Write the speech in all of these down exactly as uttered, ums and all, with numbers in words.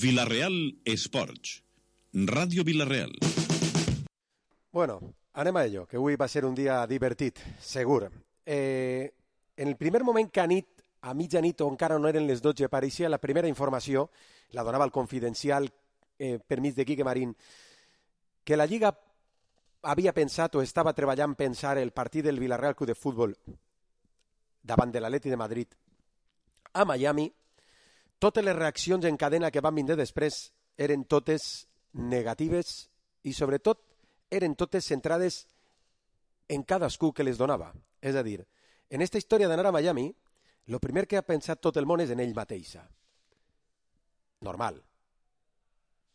Vila-real Esports. Ràdio Vila-real. Bueno, anem a ello, que avui va ser un dia divertit, segur. Eh, en el primer moment que a nit, a mitjanit o encara no eren les dotze, apareixia la primera informació, la donava el Confidencial eh, per mig de Quique Marín, que la Lliga havia pensat o estava treballant pensar el partit del Villarreal Club de Futbol davant de l'Atleti de Madrid a Miami. Totes les reaccions en cadena que van vindre després eren totes negatives i sobretot eren totes centrades en cadascú que les donava. És a dir, en aquesta història d'anar a Miami, el primer que ha pensat tot el món és en ell mateixa. Normal.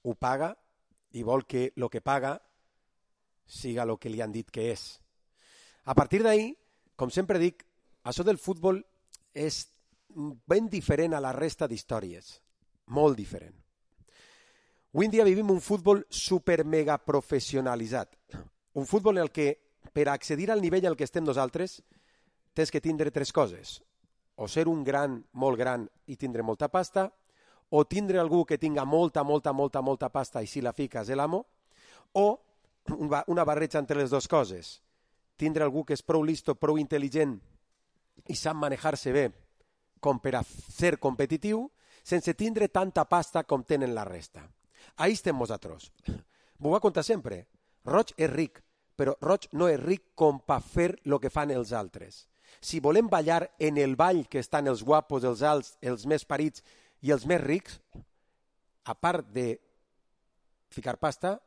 Ho paga i vol que el que paga siga el que li han dit que és. A partir d'ahir, com sempre dic, això del futbol és ben diferent a la resta d'històries. Molt diferent. Avui en dia vivim un futbol super mega professionalitzat. Un futbol en el que, per accedir al nivell al que estem nosaltres, tens que tindre tres coses. O ser un gran, molt gran i tindre molta pasta, o tindre algú que tinga molta, molta, molta, molta pasta i si la fiques és l'amo, o una barreja entre les dues coses. Tindre algú que és prou listo, prou intel·ligent i sap manejar-se bé com per a ser competitiu, sense tindre tanta pasta com tenen la resta. Ahí estem nosaltres. M'ho va contar sempre. Roig és ric, però Roig no és ric com per fer el que fan els altres. Si volem ballar en el ball que estan els guapos, els alts, els més parits i els més rics, a part de ficar pasta,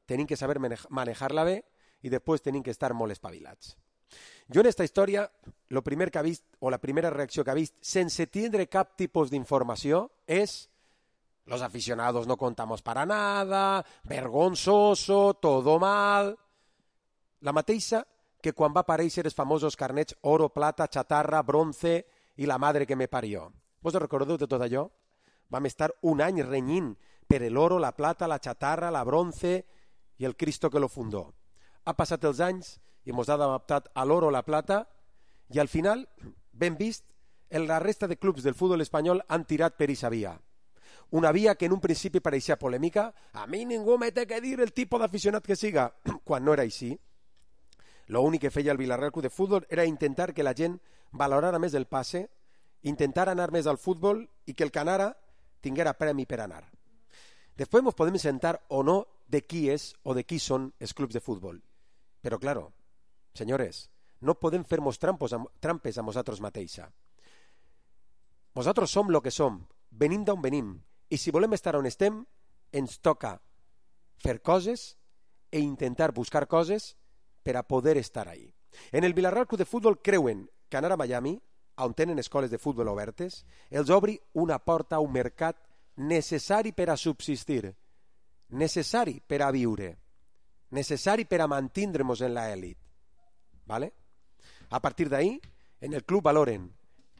tenim que saber manejar-la bé i després tenim que estar molt espavilats. Jo en aquesta història, el primer que ha vist, o la primera reacció que ha vist, sense tindre cap tipus d'informació, és los aficionados no contamos para nada, vergonzoso, todo mal. La mateixa que quan va aparèixer els famosos carnets oro, plata, chatarra, bronce i la madre que me parió. Vos recordeu de tot allò? Vam estar un any renyint per l'oro, la plata, la chatarra, la bronce i el Cristo que lo fundó. Ha passat els anys i ens ha adaptat a l'oro, la plata, i al final, ben vist, la resta de clubs del futbol espanyol han tirat per aquesta via. Una via que en un principi pareixia polèmica. A mi ningú me té que dir el tipus d'aficionat que siga. Quan no era així, l'únic que feia el Villarreal Club de Futbol era intentar que la gent valorara més el passe, intentar anar més al futbol i que el que anara tinguera premi per anar. Després ens podem sentar o no de qui és o de qui són els clubs de futbol. Però, claro, senyores, no podem fer-nos trampes a nosaltres mateixa. Nosaltres som el que som, venim d'on venim, i si volem estar on estem, ens toca fer coses e intentar buscar coses per a poder estar ahí. En el Villarreal Club de Futbol creuen que anar a Miami, on tenen escoles de futbol obertes, els obri una porta a un mercat necessari per a subsistir, necessari per a viure, necessari per a mantindre'ns en l'elit. ¿Vale? A partir d'ahí, en el club valoren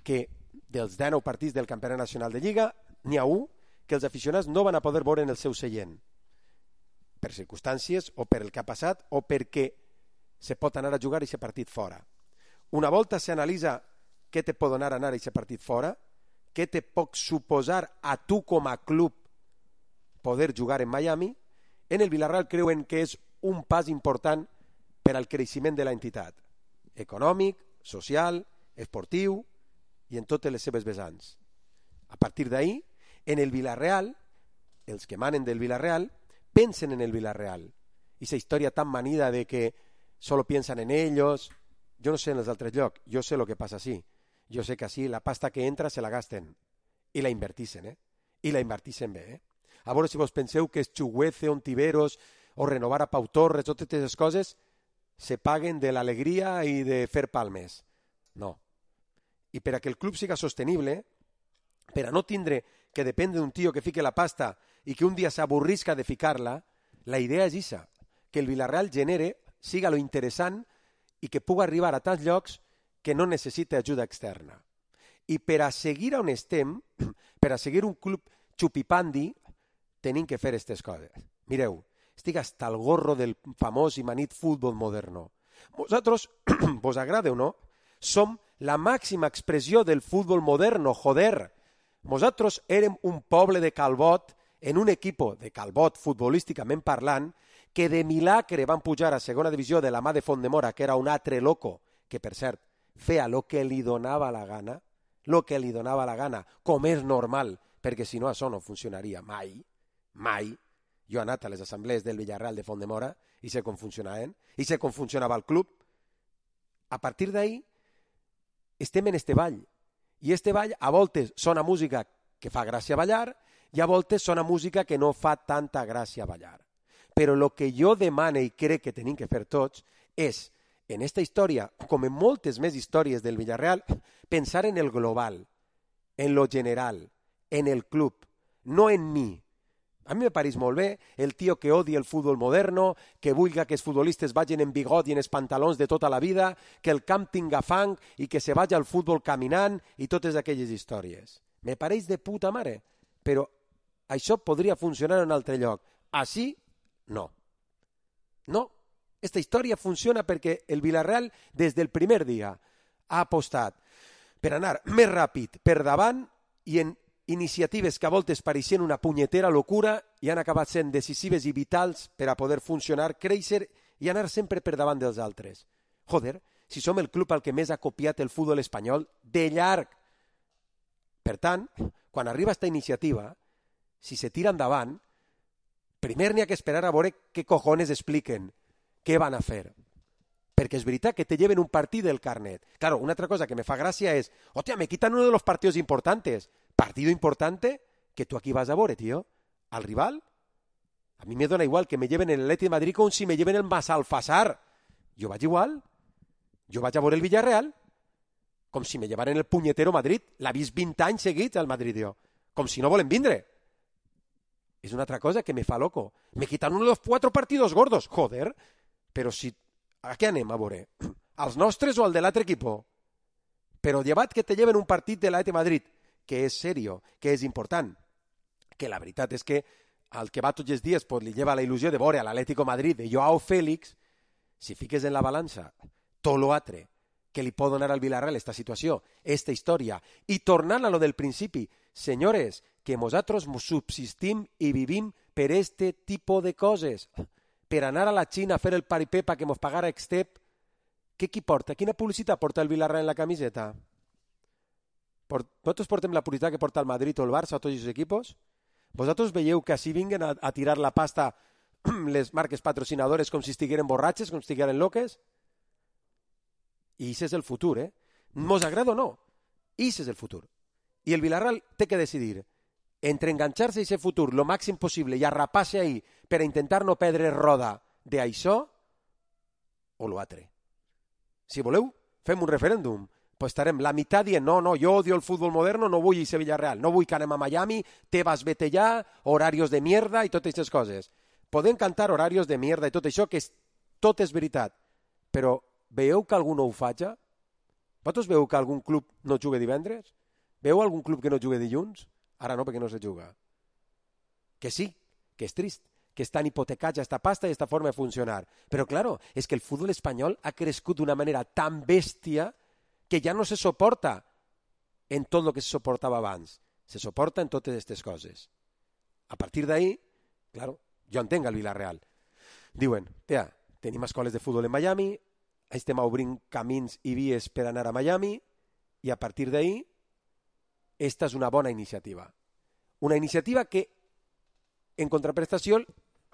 que dels dinou partits del Campionat Nacional de Lliga, n'hi ha un que els aficionats no van a poder veure en el seu seient, per circumstàncies o per el que ha passat o perquè se pot anar a jugar aquest partit fora. Una volta s'analitza què te pot donar anar a aquest partit fora, què te pot suposar a tu com a club poder jugar en Miami, en el Villarreal creuen que és un pas important per al creixement de l'entitat, econòmic, social, esportiu i en totes les seves vessants. A partir d'ahí, en el Villarreal, els que manen del Villarreal, pensen en el Villarreal. I aquesta història tan manida de que solo piensan en ellos, jo no sé en els altres llocs, jo sé el que passa així. Jo sé que així la pasta que entra se la gasten i la invertixen, eh? I la invertixen bé, eh? A veure si vos penseu que Chuguece, Ontiveros o renovar a Pau Torres, totes aquestes coses se paguen de l'alegria i de fer palmes. No. I per a que el club siga sostenible, per a no tindre que dependre d'un tio que fique la pasta i que un dia s'avorrisca de ficar-la, la idea és aquesta, que el Villarreal genere, siga lo interessant i que pugui arribar a tants llocs que no necessita ajuda externa. I per a seguir on estem, per a seguir un club xupipandi, tenim que fer aquestes coses. Mireu, estic hasta el gorro del famós i manit futbol moderno. Vosaltres, vos agrada o no, som la màxima expressió del futbol moderno, joder. Nosaltres érem un poble de Calbot en un equip de Calbot, futbolísticament parlant, que de milagre van pujar a segona divisió de la mà de Fontdemora, que era un altre loco, que per cert feia el que li donava la gana, el que li donava la gana, com és normal, perquè si no això no funcionaria mai, mai. Jo he anat a les assemblees del Villarreal de Fontdemora i sé com funcionaven, i sé com funcionava el club. A partir d'ahí estem en este ball, i este ball a voltes sona música que fa gràcia ballar i a voltes sona música que no fa tanta gràcia ballar. Però el que jo demane i crec que tenim que fer tots és, en esta història, com en moltes més històries del Villarreal, pensar en el global, en lo general, en el club, no en mi. A mi me pareix molt bé el tio que odia el futbol moderno, que vulga que els futbolistes vagin en bigot i en els pantalons de tota la vida, que el camp tinga fang i que se vagi al futbol caminant i totes aquelles històries. Me pareix de puta mare, però això podria funcionar en un altre lloc. Així, no. No. Esta història funciona perquè el Villarreal, des del primer dia, ha apostat per anar més ràpid per davant i en iniciatives que a voltes pareixien una punyetera locura i han acabat sent decisives i vitals per a poder funcionar, créixer i anar sempre per davant dels altres. Joder, si som el club al que més ha copiat el futbol espanyol, de llarg. Per tant, quan arriba esta iniciativa, si se tira endavant, primer n'hi ha que esperar a veure què cojones expliquen, què van a fer. Perquè és veritat que te lleven un partit del carnet. Claro, una altra cosa que me fa gràcia és, hòstia, me quitan uno de los partidos importantes. Partido importante que tú aquí vas a veure, tío. Al rival. A mí me dona igual que me lleven el Atleti de Madrid com si me lleven el Massalfassar. Jo vaig igual. Jo vaig a veure el Villarreal com si me llevaren el punyetero Madrid. L'ha vist vint anys seguits al Madrid, jo. Com si no volen vindre. És una altra cosa que me fa loco. Me quitan uno de los cuatro partidos gordos. Joder. Però si... A què anem a veure? Als nostres o al de l'altre equipo? Però llevat que te lleven un partit de l'Atleti de Madrid, que és serio, que és important, que la veritat és que al que va tots els dies pues, li lleva la il·lusió de veure a l'Atlético Madrid de Joao Félix, si fiques en la balança tot l'altre que li pot donar al Villarreal esta situació, esta història, i tornant a lo del principi, senyores, que nosaltres subsistim i vivim per este tipus de coses, per anar a la Xina a fer el paripé que mos pagara Extep. Què qui porta? Quina publicitat porta el Villarreal en la camiseta? Nosaltres portem la publicitat que porta el Madrid o el Barça o tots els equipos? Vosaltres veieu que així vinguen a, a tirar la pasta les marques patrocinadores com si estigueren borratxes, com si estigueren loques? I això és el futur, eh? Mos agrada o no? Això és el futur. I el Villarreal té que decidir entre enganxar-se a aquest futur lo màxim possible i arrapar-se ahí per a intentar no perdre roda d'això o l'altre. Si voleu, fem un referèndum. Pues estarem la meitat dient, no, no, jo odio el futbol moderno, no vull ser Villarreal, no vull que anem a Miami, Tebas vete allà, horarios de mierda i totes aquestes coses. Podem cantar horarios de mierda i tot això, que és, tot és veritat, però veieu que algú no ho faig? Vosaltres veieu que algun club no juga divendres? Veieu algun club que no juga dilluns? Ara no, perquè no se juga. Que sí, que és trist, que estan hipotecats a esta pasta i a esta forma de funcionar. Però, claro, és que el futbol espanyol ha crescut d'una manera tan bèstia que ja no se soporta en tot el que se soportava abans. Se soporta en totes aquestes coses. A partir d'ahí, claro, jo entenc el Villarreal. Diuen, tia, tenim escoles de futbol en Miami, estem obrint camins i vies per anar a Miami, i a partir d'ahí, esta és una bona iniciativa. Una iniciativa que, en contraprestació,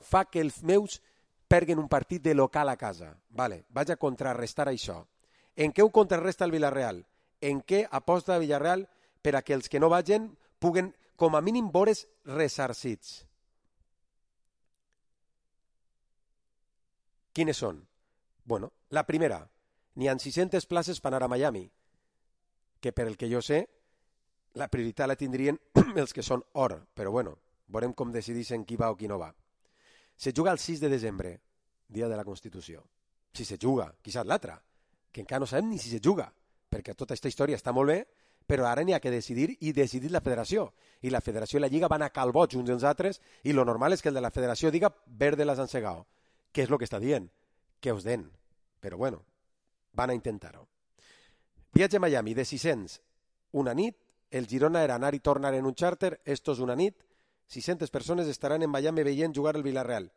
fa que els meus perguen un partit de local a casa. Vale, vaig a contrarrestar això. En què ho contrarresta el Villarreal? En què aposta el Villarreal per a que els que no vagin puguen, com a mínim, veure's ressarcits? Quines són? Bueno, la primera, n'hi ha sis-centes places per anar a Miami, que per el que jo sé, la prioritat la tindrien els que són or, però bueno, veurem com decideixen qui va o qui no va. Se juga el sis de desembre, dia de la Constitució. Si se juga, qui sap l'altre, que encara no sabem ni si se juga, perquè tota aquesta història està molt bé, però ara n'hi ha que decidir i decidir la federació. I la federació i la lliga van a calbots uns dels altres i lo normal és que el de la federació diga verde las han segado. Què és el que està dient? Que us den. Però bueno, van a intentar-ho. Viatge a Miami de sis-cents una nit el Girona era anar i tornar en un xàrter, esto és una nit, sis-centes persones estaran en Miami veient jugar el Villarreal.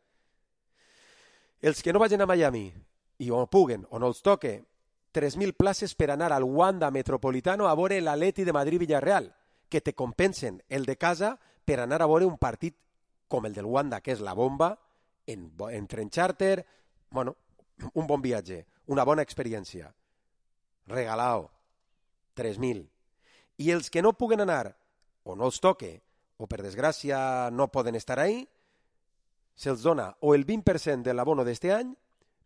Els que no vagin a Miami, i o puguen o no els toque, tres mil places per anar al Wanda Metropolitano a veure l'Atleti de Madrid-Villarreal, que te compensen el de casa per anar a veure un partit com el del Wanda, que és la bomba, en, en tren xàrter, bueno, un bon viatge, una bona experiència. Regalao, tres mil. I els que no puguen anar, o no els toque, o per desgràcia no poden estar ahí, se'ls dona o el vint per cent de l'abono d'este any,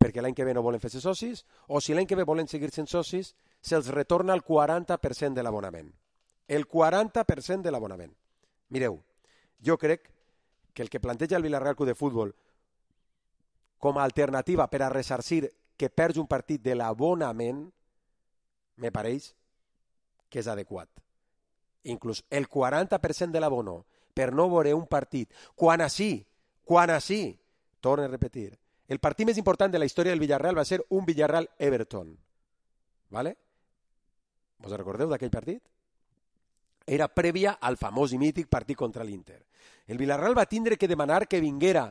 perquè l'any que ve no volen fer-se socis, o si l'any que ve volen seguir sent socis, se'ls retorna el quaranta per cent de l'abonament. El quaranta per cent de l'abonament. Mireu, jo crec que el que planteja el Villarreal Club de Futbol com a alternativa per a ressarcir que perds un partit de l'abonament, me pareix que és adequat. Inclús el quaranta per cent de l'abono per no veure un partit, quan així, quan així, torno a repetir, el partit més important de la història del Villarreal va ser un Villarreal-Everton. ¿Vale? Vos recordeu d'aquell partit? Era prèvia al famós i mític partit contra l'Inter. El Villarreal va tindre que demanar que vinguera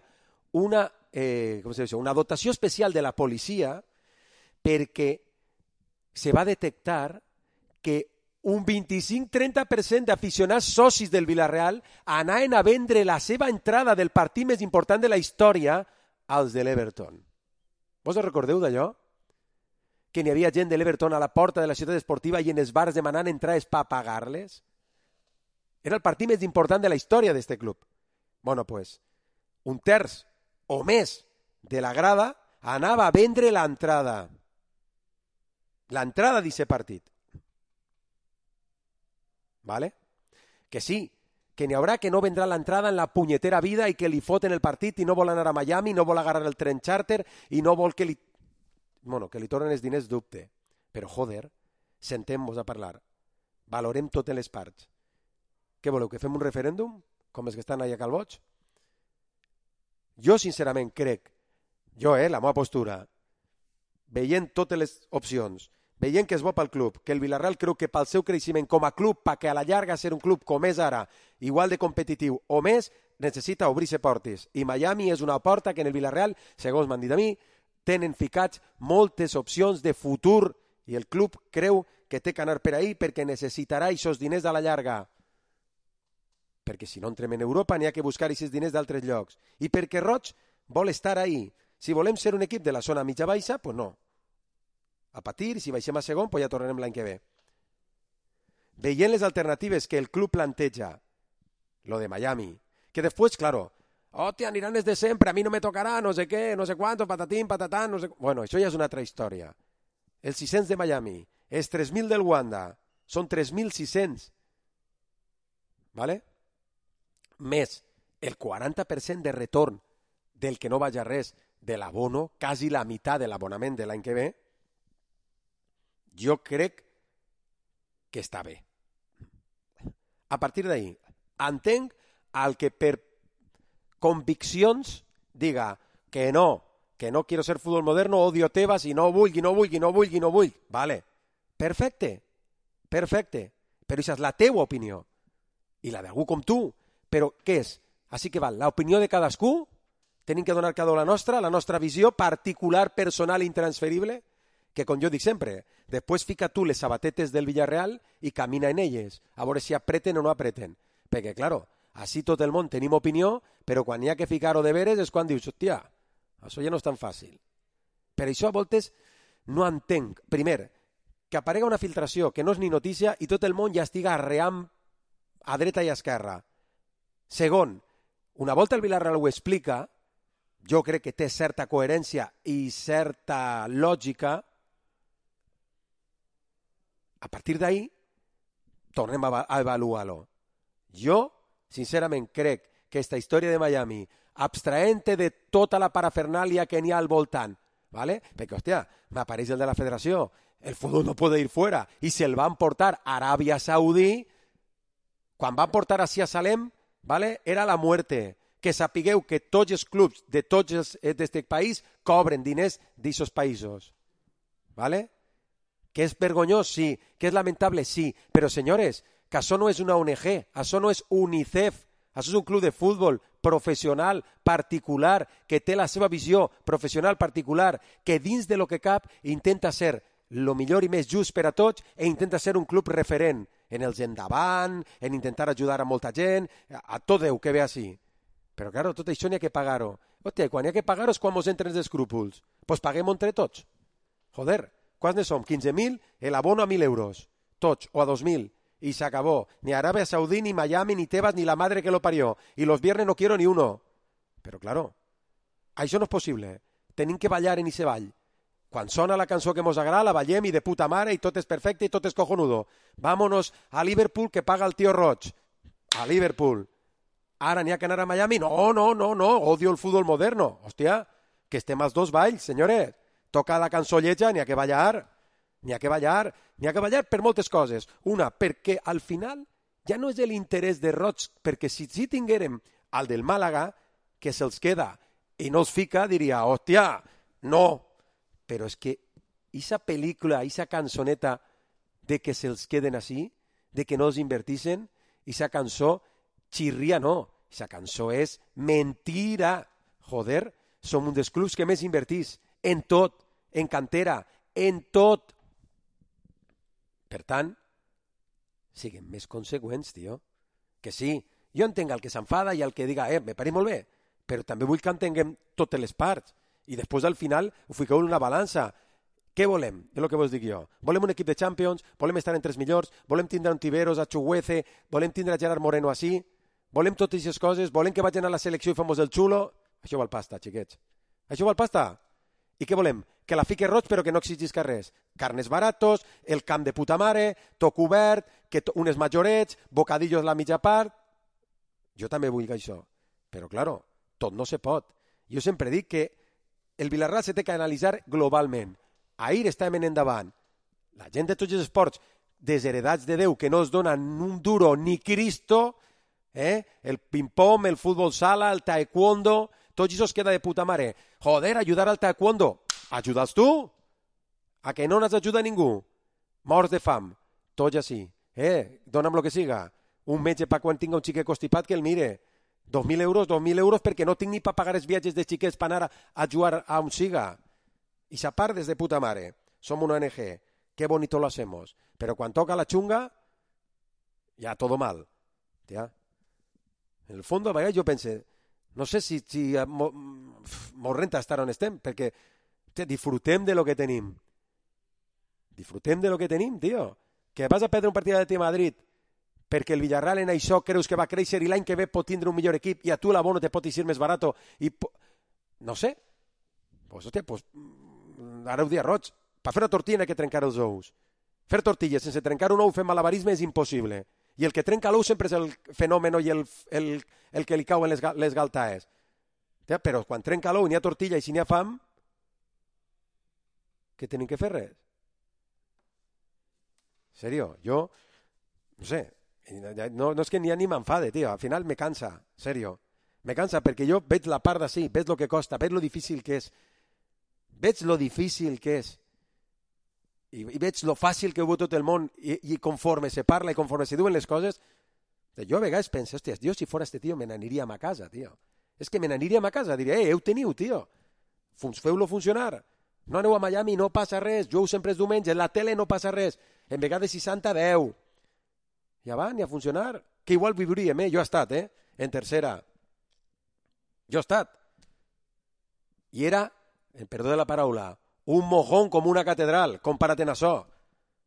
una, eh, com se diu, una dotació especial de la policia perquè se va detectar que un vint-i-cinc a trenta per cent d'aficionats socis del Villarreal anaven a vendre la seva entrada del partit més important de la història als de l'Everton. Vos recordeu d'allò? Que n'hi havia gent de l'Everton a la porta de la ciutat esportiva i en els bars demanant entrades per pagar-les? Era el partit més important de la història d'este club. Bueno, pues, un terç o més de la grada anava a vendre l'entrada. L'entrada d'aquest partit. ¿Vale? Que sí, que n'hi haurà que no vendrà l'entrada en la punyetera vida i que li foten el partit i no vol anar a Miami, no vol agarrar el tren xàrter i no vol que li... Bueno, que li tornen els diners, dubte. Però, joder, sentem-vos a parlar. Valorem totes les parts. Què voleu, que fem un referèndum? Com els que estan allà a Calboig? Jo, sincerament, crec, jo, eh, la meva postura, veient totes les opcions, veient que és bo pel club, que el Villarreal creu que pel seu creixement com a club, perquè a la llarga ser un club com és ara, igual de competitiu o més, necessita obrir-se portes. I Miami és una porta que en el Villarreal, segons m'han dit a mi, tenen ficats moltes opcions de futur i el club creu que té que anar per ahí perquè necessitarà aquests diners a la llarga. Perquè si no entrem en Europa n'hi ha que buscar aquests diners d'altres llocs. I perquè Roig vol estar ahí. Si volem ser un equip de la zona mitja-baixa, pues no. A patir, si baixem a segon, pues ja tornarem l'any que ve. Veient les alternatives que el club planteja, lo de Miami, que després, claro, hòstia, aniran els de sempre, a mi no me tocarà, no sé què, no sé quantos, patatín, patatán, no sé... Bueno, això ja és una altra història. Els sis-cents de Miami, els tres mil del Wanda, són tres mil sis-cents. ¿Vale? Més el quaranta per cent de retorn del que no vaja res de l'abono, quasi la meitat de l'abonament de l'any que ve, jo crec que està bé. A partir d'ahí, entenc al que per conviccions diga que no, que no quiero ser fútbol moderno, odio Tebas i no vulgui, no vulgui, no vulgui, no vull. Vale, perfecte, perfecte, però això és la teua opinió i la d'algú com tu. Però què és? Així que val, l'opinió de cadascú, tenim que donar cada la nostra, la nostra visió particular, personal i intransferible, que com jo dic sempre, després fica tu les sabatetes del Villarreal i camina en elles, a veure si apreten o no apreten. Perquè, claro, així tot el món tenim opinió, però quan hi ha que ficar-ho de veres és quan dius, hòstia, això ja no és tan fàcil. Per això a voltes no entenc, primer, que aparega una filtració que no és ni notícia i tot el món ja estiga arreant a dreta i a esquerra. Segon, una volta el Villarreal ho explica, jo crec que té certa coherència i certa lògica, a partir d'ahí tornem a avaluar-lo. Jo, sincerament, crec que aquesta història de Miami, abstraente de tota la parafernàlia que n'hi ha al voltant, ¿vale? Perquè, hòstia, m'apareix el de la federació, el futbol no puede ir fuera, i se'l van portar a Aràbia Saudí, quan van portar a Sia Salem, ¿vale? Era la muerte. Que sapigueu que tots els clubs de tots els d'aquest país cobren diners d'aquests països. ¿Vale? Que és vergonyós, sí. Que és lamentable, sí. Però, senyores, que això no és una O N G, això no és UNICEF, això és un club de futbol professional, particular, que té la seva visió professional particular, que dins de lo que cap intenta ser lo millor i més just per a tots i intenta ser un club referent en els endavant, en intentar ajudar a molta gent, a tot Déu que ve així. Però, claro, tot això n'hi ha que pagar-ho. Hòstia, quan n'hi ha que pagar-ho és quan mos entren els escrúpols. Doncs pues paguem-ho entre tots. Joder, quants ne som? quinze mil, el abono a mil euros. Tots, o a dos mil. Y se acabó. Ni Arabia Saudí, ni Miami, ni Tebas, ni la madre que lo parió. Y los viernes no quiero ni uno. Però, claro, això no és possible. Tenim que ballar en ese ball. Quan sona la cançó que mos agrada, la ballem i de puta mare i tot és perfecte i tot és cojonudo. Vámonos a Liverpool que paga el tío Roig. A Liverpool. Ara n'hi ha que anar a Miami? No, no, no, no. Odio el fútbol moderno. Hòstia, que estem als dos balls, senyores. Toca la cançó lletja, n'hi ha que ballar. N'hi ha que ballar. N'hi ha que ballar per moltes coses. Una, perquè al final ja no és l'interès de Roig, perquè si, si tinguérem el del Màlaga, que se'ls queda i no els fica, diria, hòstia, no. Però és que esa pel·lícula, esa cançoneta de que se'ls queden així, de que no els invertixen, esa cançó xirria no, esa cançó és mentira. Joder, som un dels clubs que més invertís en tot, en cantera, en tot. Per tant, siguem més conseqüents, tio. Que sí, jo entenc el que s'enfada i el que diga, eh, me pareix molt bé, però també vull que entenguem totes les parts. I després al final ho fiqueu en una balança. Què volem? És el que vos dic jo. Volem un equip de Champions, volem estar entre els millors, volem tindre un Tiberos, a Chuguece, volem tindre a Gerard Moreno així, volem totes aquestes coses, volem que vagin a la selecció i fem-nos el xulo. Això val pasta, xiquets. Això val pasta. I què volem? Que la fique Roig però que no exigisca res. Carnes baratos, el camp de puta mare, tot cobert, que to... unes majorets, bocadillos la mitja part. Jo també vull això. Però, claro, tot no se pot. Jo sempre dic que el Villarreal se té que analitzar globalment. Ahir estàvem en endavant. La gent de tots els esports desheredats de Déu que no es donen un duro ni Cristo, eh? El ping-pong, el futbol sala, el taekwondo, tot això es queda de puta mare. Joder, ajudar al taekwondo. Ajuda'ls tu? A que no n'has ajudat ningú? Morts de fam. Tots així. Eh? Dóna'm lo que siga. Un metge per quan tinga un xiquet constipat que el mire. Dos mil euros, dos mil euros perquè no tinc ni per pagar els viatges de xiquets per anar a jugar a un siga. I sa part des de puta mare. Som una O N G. Qué bonito lo hacemos. Pero cuando toca la chunga, ya todo mal. ¿Ya? En el fondo, a vegades jo pense, no sé si, si mo, mo renta estar on estem, perquè te, disfrutem de lo que tenim. Disfrutem de lo que tenim, tio. Que vas a perdre un partit de Madrid perquè el Villarreal en això creus que va créixer i l'any que ve pot tindre un millor equip i a tu l'abono te pot eixir més barat i po... no sé, pues, hòstia, pues, ara ho dia Roig, per fer una tortilla hay que trencar els ous. Fer tortilles sense trencar un ou fent malabarisme és impossible i el que trenca l'ou sempre és el fenomen i el, el, el que li cauen les, les galtaes. Però quan trenca l'ou i n'hi ha tortilla i si n'hi ha fam, què tenim que fer res? Serio, jo no sé, no, no és que ni, ni m'enfade, tio, al final me cansa, serio, me cansa perquè jo veig la part d'ací, veig lo que costa, veig lo difícil que és, veig lo difícil que és, i, i veig lo fàcil que ho veu tot el món, i, i conforme se parla i conforme se diuen les coses, jo a vegades penso, hòstia, jo si fora este tio me n'aniria a ma casa, tio, és que me n'aniria a ma casa, diria, eh, heu teniu, tio, feu-lo funcionar, no aneu a Miami, no passa res, jugueu sempre els diumenges, la tele no passa res, en vegades seixanta a deu, ja va, ni a funcionar, que igual viuríem, eh? Jo he estat, eh? En tercera. Jo he estat. I era, perdó de la paraula, un mojón com una catedral, comparat en això.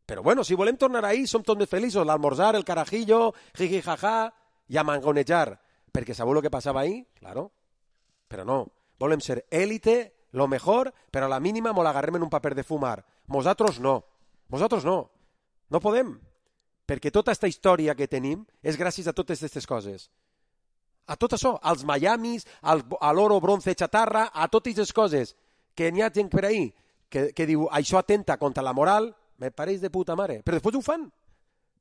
Però bueno, si volem tornar ahí, som tots més feliços, l'almorzar, el carajillo, jiji jaja, i a mangonejar. Perquè sabeu el que passava ahí? Claro. Però no, volem ser élite, lo mejor, però a la mínima mos l'agarrem en un paper de fumar. Nosaltres no. Nosaltres no. No podem. Perquè tota aquesta història que tenim és gràcies a totes aquestes coses. A tot això, als Miamis, al, a l'oro, bronze, xatarra, a totes aquestes coses que n'hi ha gent per ahí que, que diu això atenta contra la moral, me pareix de puta mare. Però després ho fan.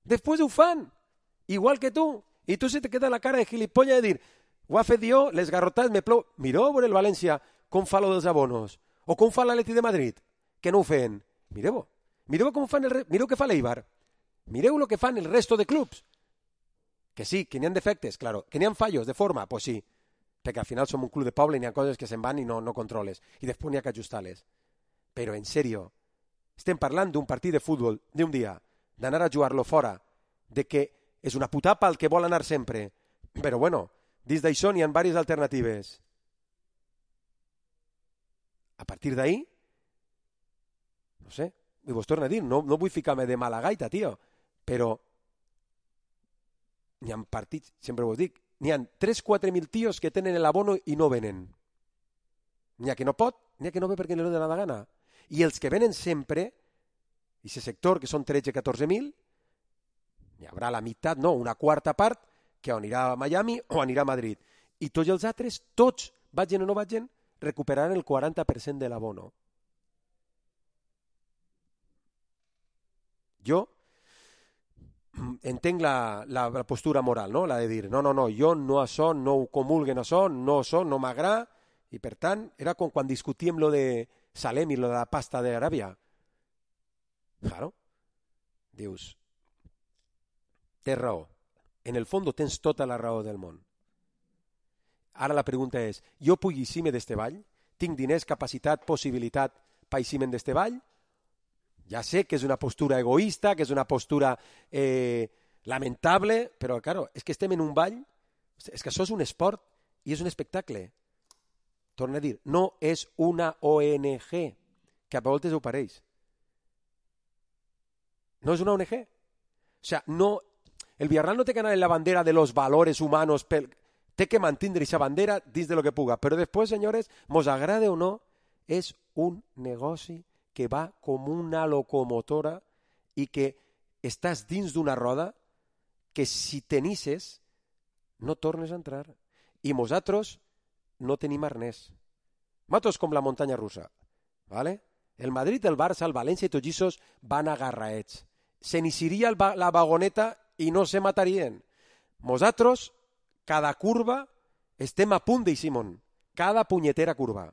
Després ho fan. Igual que tu. I tu se te queda la cara de gilipolla de dir ho ha fet jo, les garrotades me plou. Mireu a veure el València com fa lo dels abonos. O com fa l'Atleti de Madrid, que no ho feien. Mireu-ho. Mireu com fan el... Mireu què fa l'Eibar. Mireu el que fan el resto de clubs. Que sí, que n'hi ha defectes, claro. Que n'hi ha fallos de forma, pues sí. Perquè al final som un club de poble i n'hi ha coses que se'n van i no, no controles. I després n'hi ha que ajustar-les. Però, en sèrio, estem parlant d'un partit de futbol d'un dia, d'anar a jugar-lo fora, de que és una putapa el que vol anar sempre. Però, bueno, dins d'això n'hi ha diverses alternatives. A partir d'ahí, no sé, i vos torno a dir, no, no vull ficar-me de mala gaita, tio, però n'hi ha partits, sempre vos dic, n'hi ha tres a quatre mil tios que tenen l'abono i no venen. N'hi ha que no pot, n'hi ha que no ve perquè no li dona la gana. I els que venen sempre, i aquest sector, que són tretze a catorze mil, n'hi haurà la meitat, no, una quarta part, que anirà a Miami o anirà a Madrid. I tots els altres, tots, vagin o no vagin, recuperaran el quaranta per cent de l'abono. Jo entenc la, la, la postura moral, no? La de dir, no, no, no, jo no això, no ho comulguen això, no això, no m'agrada, i per tant, era com quan discutíem lo de Salem i lo de la pasta d'Aràbia. Claro. Dius, tens raó. En el fons tens tota la raó del món. Ara la pregunta és, jo puc eixir-me d'este ball? Tinc diners, capacitat, possibilitat per eixir-me d'este ball? Ja sé que és una postura egoista, que és una postura eh, lamentable, però, claro, és que estem en un ball, és que això és un esport i és un espectacle. Torno a dir, no és una O N G, que a voltes ho pareix. No és una O N G. O sea, no, el Villarreal no té que anar en la bandera de los valores humanos, pel, té que mantindre aquesta bandera dins de lo que puga. Però després, senyores, mos agrade o no, és un negoci que va com una locomotora i que estàs dins d'una roda que si tenisses no tornes a entrar. I nosaltres no tenim arnès. Nosaltres com la muntanya russa. ¿Vale? El Madrid, el Barça, el València i tots aquests van agarraets. Se n'hissiria la vagoneta i no se matarien. Nosaltres, cada curva, estem a punt d'eixir, Simon. Cada punyetera curva.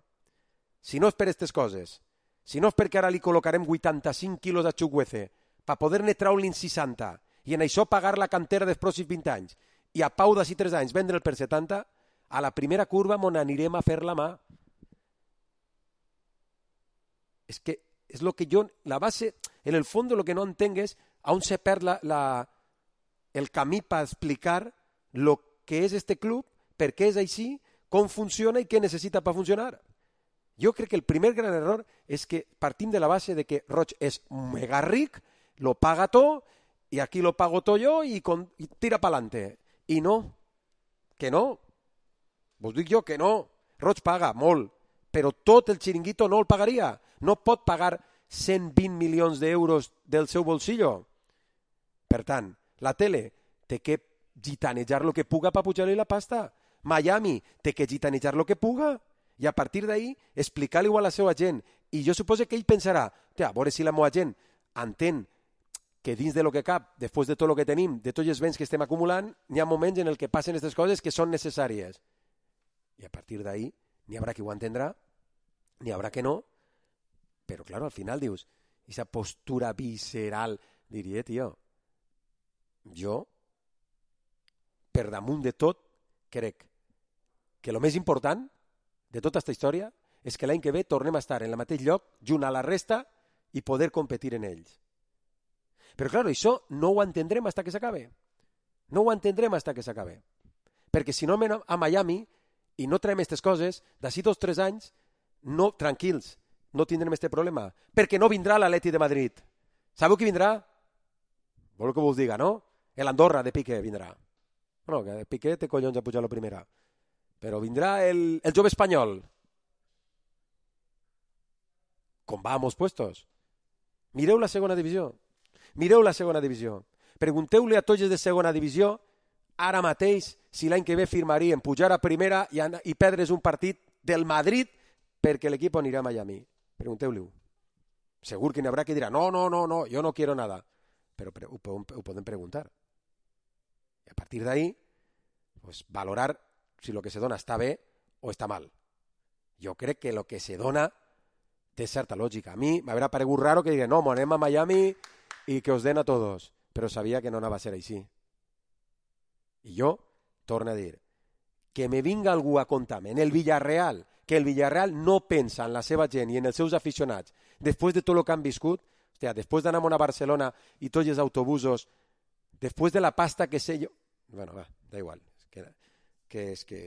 Si no és per aquestes coses, si no és perquè ara li col·locarem vuitanta-cinc quilos a Chukwueze per poder-ne treure-li'n seixanta i en això pagar la cantera dels pròxims vint anys i a Pau d'ací tres anys vendre'l per setanta, a la primera curva m'on anirem a fer la mà. És que és lo que jo, la base, en el fons lo que no entenc és on se perd la, la, el camí per explicar lo que és este club, per què és així, com funciona i què necessita per funcionar. Jo crec que el primer gran error és que partim de la base de que Roig és mega ric, lo paga tot, i aquí lo pago tot jo i, con, i tira pa'lante. I no, que no. Vos dic jo que no. Roig paga molt, però tot el xiringuito no el pagaria. No pot pagar cent vint milions d'euros del seu bolsillo. Per tant, la tele té que gitanejar lo que puga per pujar-li la pasta. Miami té que gitanejar lo que puga. I a partir d'ahí explicar-li a la seva gent. I jo suposo que ell pensarà, a veure si la meva gent entén que dins de lo que cap, després de tot el que tenim, de tots els béns que estem acumulant, n'hi ha moments en el que passen aquestes coses que són necessàries. I a partir d'ahí n'hi haurà qui ho entendrà, n'hi haurà que no, però, clar, al final dius, aquesta postura visceral, diria, tio, jo, per damunt de tot, crec que el més important de tota aquesta història és que l'any que ve tornem a estar en el mateix lloc, junt a la resta, i poder competir en ells. Però, clar, això no ho entendrem fins que s'acabe. No ho entendrem fins que s'acabe. Perquè si no anem a Miami i no traiem aquestes coses, d'ací dos o tres anys, no, tranquils, no tindrem aquest problema. Perquè no vindrà l'Atleti de Madrid. Sabeu qui vindrà? Voleu que vos diga, no? L'Andorra de Piqué vindrà. No, que Piqué té collons a pujar a la primera. Però vindrà el, el jove espanyol. Com va a molts puestos. Mireu la segona divisió. Mireu la segona divisió. Pregunteu-li a tots els de segona divisió ara mateix si l'any que ve firmarien pujar a primera i, i perdre's un partit del Madrid perquè l'equip anirà a Miami. Pregunteu-li-ho. Segur que n'hi haurà que dirà no, no, no, no, jo no quiero nada. Però ho, ho, ho podem preguntar. I a partir d'ahí, pues, valorar si lo que se dona està bé o està mal. Jo crec que lo que se dona té certa lògica. A mi m'haurà paregut raro que digui, no, anem a Miami i que os den a todos. Però sabia que no anava a ser així. I jo, torno a dir, que me vinga algú a contar-me en el Villarreal, que el Villarreal no pensa en la seva gent i en els seus aficionats, després de tot el que han viscut, hòstia, després d'anar a Barcelona i tots els autobusos, després de la pasta que sé jo... Bueno, va, da igual. És que, que és que...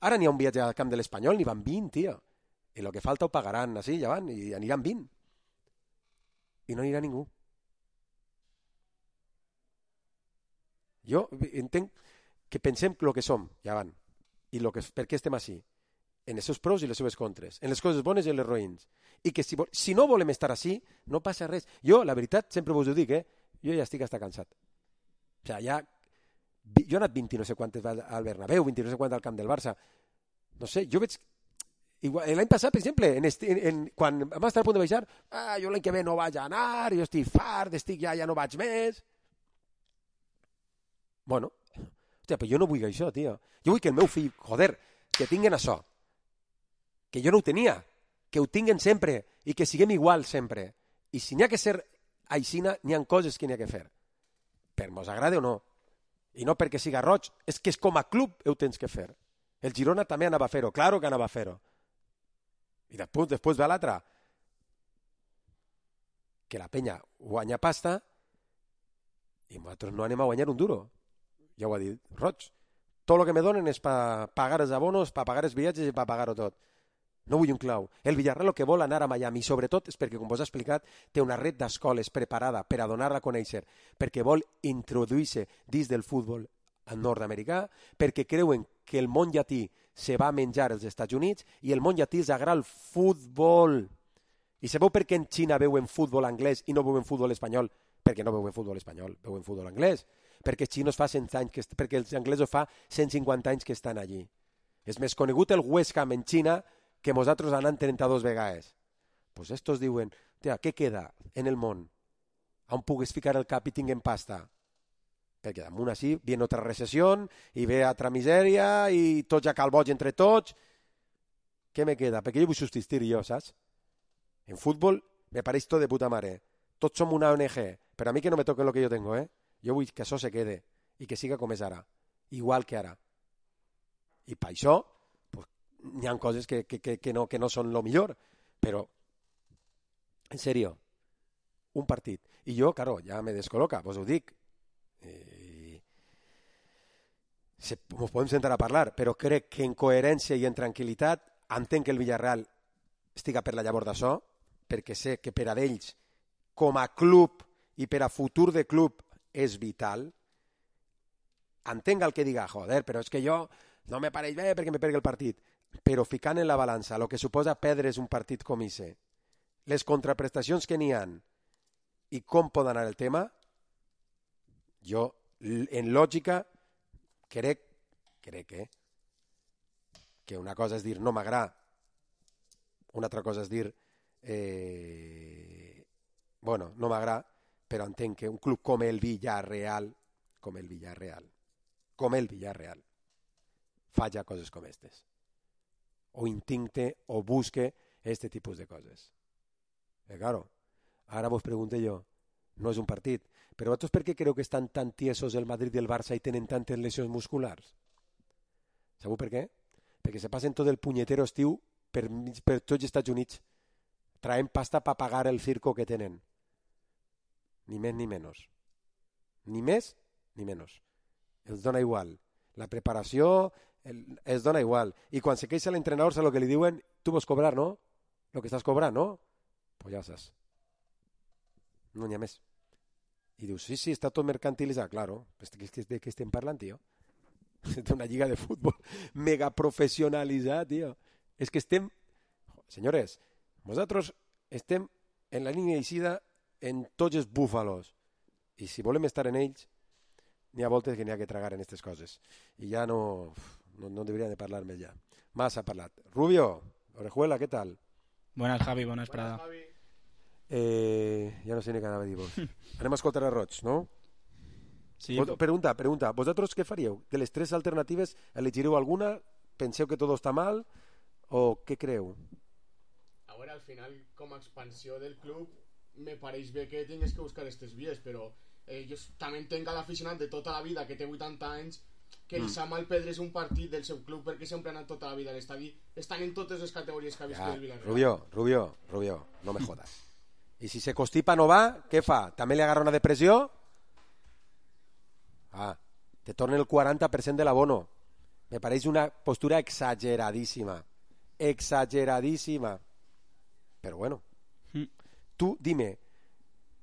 Ara n'hi ha un viatge al camp de l'Espanyol, n'hi van vint, tio. I el que falta ho pagaran, així, ja van, i aniran vint. I no anirà ningú. Jo entenc que pensem el que som, ja van, i lo que, per què estem així, en els seus pros i les seves contres, en les coses bones i en les roïns, i que si, si no volem estar així, no passa res. Jo, la veritat, sempre vos ho dic, eh? Jo ja estic hasta cansat. O sigui, ja... Jo he anat vint i no sé quantes al Bernabéu, vint i no sé quantes al camp del Barça. No sé, jo veig... L'any passat, per exemple, en esti, en, en, quan vam estar a punt de baixar, ah, jo l'any que ve no vaig anar, jo estic fart, estic ja, ja no vaig més. Bueno, hòstia, però jo no vull això, tio. Jo vull que el meu fill, joder, que tinguen això. Que jo no ho tenia. Que ho tinguen sempre i que siguem igual sempre. I si n'hi ha que ser aixina, n'hi ha coses que n'hi ha que fer. Per mos agrade o no. I no perquè siga roig, és que és com a club ho tens que fer. El Girona també anava a fer-ho, claro que anava a fer-ho. I després, després ve l'altre. Que la penya guanya pasta i nosaltres no anem a guanyar un duro. Ja ho ha dit Roig. Tot el que me donen és per pagar els abonos, per pagar els viatges i per pagar-ho tot. No vull un clau. El Villarreal el que vol anar a Miami, sobretot és perquè, com vos he explicat, té una red d'escoles preparada per a donar-la a conèixer, perquè vol introduir-se dins del futbol nord-americà, perquè creuen que el món llatí se va menjar als Estats Units i el món llatí els agrada el futbol. I sabeu per què en Xina veuen futbol anglès i no veuen futbol espanyol? Perquè no veuen futbol espanyol, veuen futbol anglès. Perquè els xinos fa cent anys, que, perquè els anglesos fa cent cinquanta anys que estan allí. És més conegut el West Ham en Xina que nosaltres anant trenta-dos vegades. Pues estos diuen, tia, què queda en el món? On pugues ficar el cap i tinguem pasta? Perquè damunt així viene otra recessió i ve altra misèria i tots a calboig entre tots. Què me queda? Perquè jo vull subsistir jo, saps? En futbol me pareix tot de puta mare. Tots som una O N G, però a mi que no me toquen lo que yo tengo, eh? Jo vull que això se quede i que siga com és ara, igual que ara. I per això pues, hi ha coses que, que, que, que, no, que no són lo millor, però en serio, un partit. I jo, claro, ja me descol·loca, vos ho dic. Eh, se, ens podem sentar a parlar, però crec que en coherència i en tranquil·litat entenc que el Villarreal estiga per la llavor d'això, perquè sé que per a d'ells, com a club i per a futur de club, és vital. Entenc el que diga, joder, però és que jo no me pareix bé perquè me perdi el partit. Però ficant en la balança el que suposa perdre's un partit com ese, les contraprestacions que n'hi han i com pot anar el tema, jo, en lògica, crec, crec eh, que una cosa és dir no m'agrada, una altra cosa és dir eh, bueno, no m'agrada, però entenc que un club com el Villarreal, com el Villarreal, com el Villarreal, falla coses com aquestes. O intente o busque este tipus de coses. Eh, claro, ara vos pregunto jo, no és un partit, però vosaltres per què creu que estan tan tiesos el Madrid i el Barça i tenen tantes lesions musculars? Sabeu per què? Perquè se passen tot el punyetero estiu per, per tots els Estats Units traient pasta per pagar el circo que tenen. Ni més ni menys. Ni més ni menys. Els dona igual. La preparació el, els dona igual. I quan se queixa l'entrenador, saps el que li diuen? Tu vols cobrar, no? El que estàs cobrant, no? Pues ja saps. No n'hi ha més. I dius, sí, sí, està tot mercantilitzat. Claro, de què estem parlant, tio? D'una lliga de futbol mega professionalitzada, tio. És que estem... Senyores, nosaltres estem en la línia d'eixida en tots els búfalos. I si volem estar en ells, n'hi ha voltes que n'hi ha que tragar en aquestes coses. I ja no, no, no deberían de parlar més ja. Massa parlat. Rubio, Orejuela, ¿qué tal? Buenas, Javi, buenas, Prada. Buenas, Javi. Eh, ja no sé ni què anava a dir vos. Anem a escoltar a Roig, no? Sí. Vos, pregunta, pregunta. Vosaltres què faríeu? De les tres alternatives, elegireu alguna? Penseu que tot està mal? O què creu? A veure, al final, com a expansió del club, me pareix bé que tingues que buscar aquestes vies, però eh, jo també entenc a l'aficionat de tota la vida que té vuitanta anys que els ha malpedres un partit del seu club perquè sempre han anat tota la vida a l'estadi, estan en totes les categories que ha viscut Ja, el Villarreal. Rubio, Rubio, Rubio, no me jodas. I si se constipa no va, què fa? També li agarra una depressió? Ah, te torna el quaranta per cent de l'abono. Me pareix una postura exageradíssima. Exageradíssima. Però bueno. Mm. Tu, dime,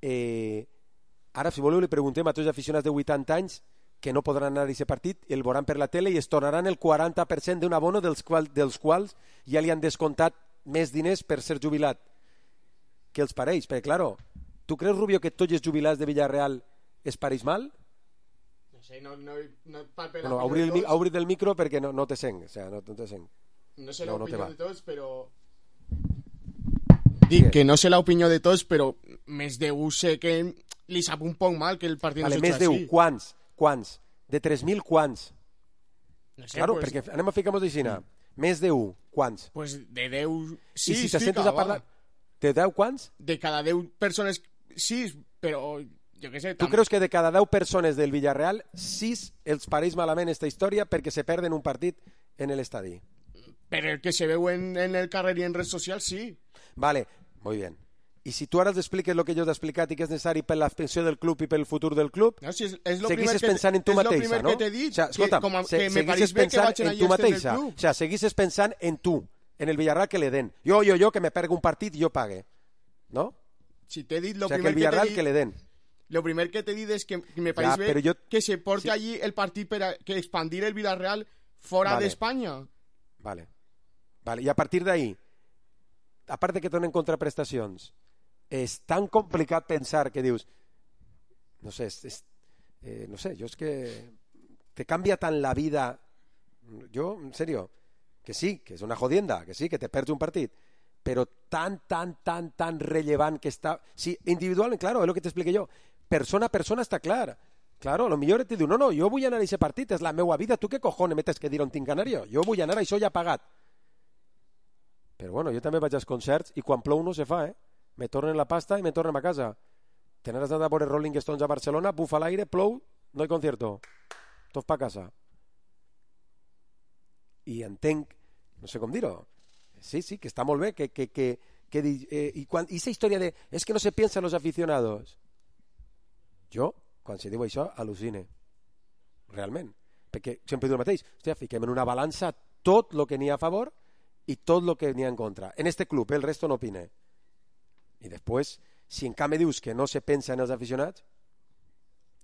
eh, ara si voleu li preguntem a tots els aficionats de vuitanta anys que no podran anar a aquest partit, el veuran per la tele i es tornaran el quaranta per cent d'un abono dels, qual, dels quals ja li han descomptat més diners per ser jubilat. Què els pareix? Perquè, claro, tu creus, Rubio, que tots els jubilats de Villarreal es pareix mal? No sé, no, no, no et palpe Bueno, l'opinió obri el, de mi- tots. obri el micro perquè no, no te sent. O sea, no, no te sent. No sé No, no te l'opinió va. de tots, però... Dic que no sé l'opinió de tots, però més d'un sé que li sap un poc mal que el partit Vale, no més s'ha d'un, així. quants? Quants? De tres mil, quants? No sé, Claro, pues, perquè anem a ficar-nos d'aixina. Més d'un, quants? pues de deu... I sis, si te sentes fica, a parlar... va. De deu, quants? De cada deu persones, sis, però jo què sé... Tu creus que de cada deu persones del Villarreal, sis els pareix malament esta història perquè se perden un partit en l'estadi? Per el que se veu en, en el carrer i en redes socials, sí. Vale, muy bien. I si tu ara els expliques el que jo t'he explicat i que és necessari per l'expansió del club i pel futur del club, No, si és, és lo seguisses primer que, pensant en tu és lo mateixa, primer no? que t'he dit, o sea, escolta, que, com a, se, que me pareix seguisses bé que pensant vagin en allà tu a este del mateixa. club. O sea, seguisses pensant en tu, en el Villarreal que le den. Jo, jo, jo, que me perga un partit i jo pague. No? Si t'he dit, lo O sea, que primer el que, Villarreal t'he que le dit, den. lo primer que t'he dit és que, que me pareix Ja, bé però jo- que se porti sí. allí el partit per a, que expandir el Villarreal fora Vale. d'Espanya. Vale. Vale. I a partir d'ahí, a part de que donen contraprestacions, és tan complicat pensar que dius, no sé, és, és, eh, no sé, jo és que te canvia tant la vida, jo, en serio, que sí, que és una jodienda, que sí, que te perds un partit, però tan, tan, tan, tan rellevant que està... Sí, individualment, claro, és el que t'expliqué jo. Persona a persona està clar. Claro, a lo millor te diu, no, no, jo vull anar a aquest partit, és la meua vida, tu què cojones metes que dir on tinc anar jo? Jo vull anar a això ja pagat. Però bueno, jo també vaig als concerts i quan plou no se fa, eh? Me tornen la pasta i me tornem a casa. Tener anat a veure Rolling Stones a Barcelona, bufa l'aire, plou, no hi concierto. Tot pa casa. I entenc, no sé com dir-ho, sí, sí, que està molt bé, que, que, que, que di- eh, i quan, i esa història de, és que no se piensa en los aficionados. Jo, quan se diu això, al·lucine. Realment. Perquè sempre diu el mateix. Hòstia, fiquem en una balança tot el que n'hi ha a favor i tot el que n'hi ha en contra. En este club, el resto no opine. I després, si en canvi dius que no se pensa en els aficionats,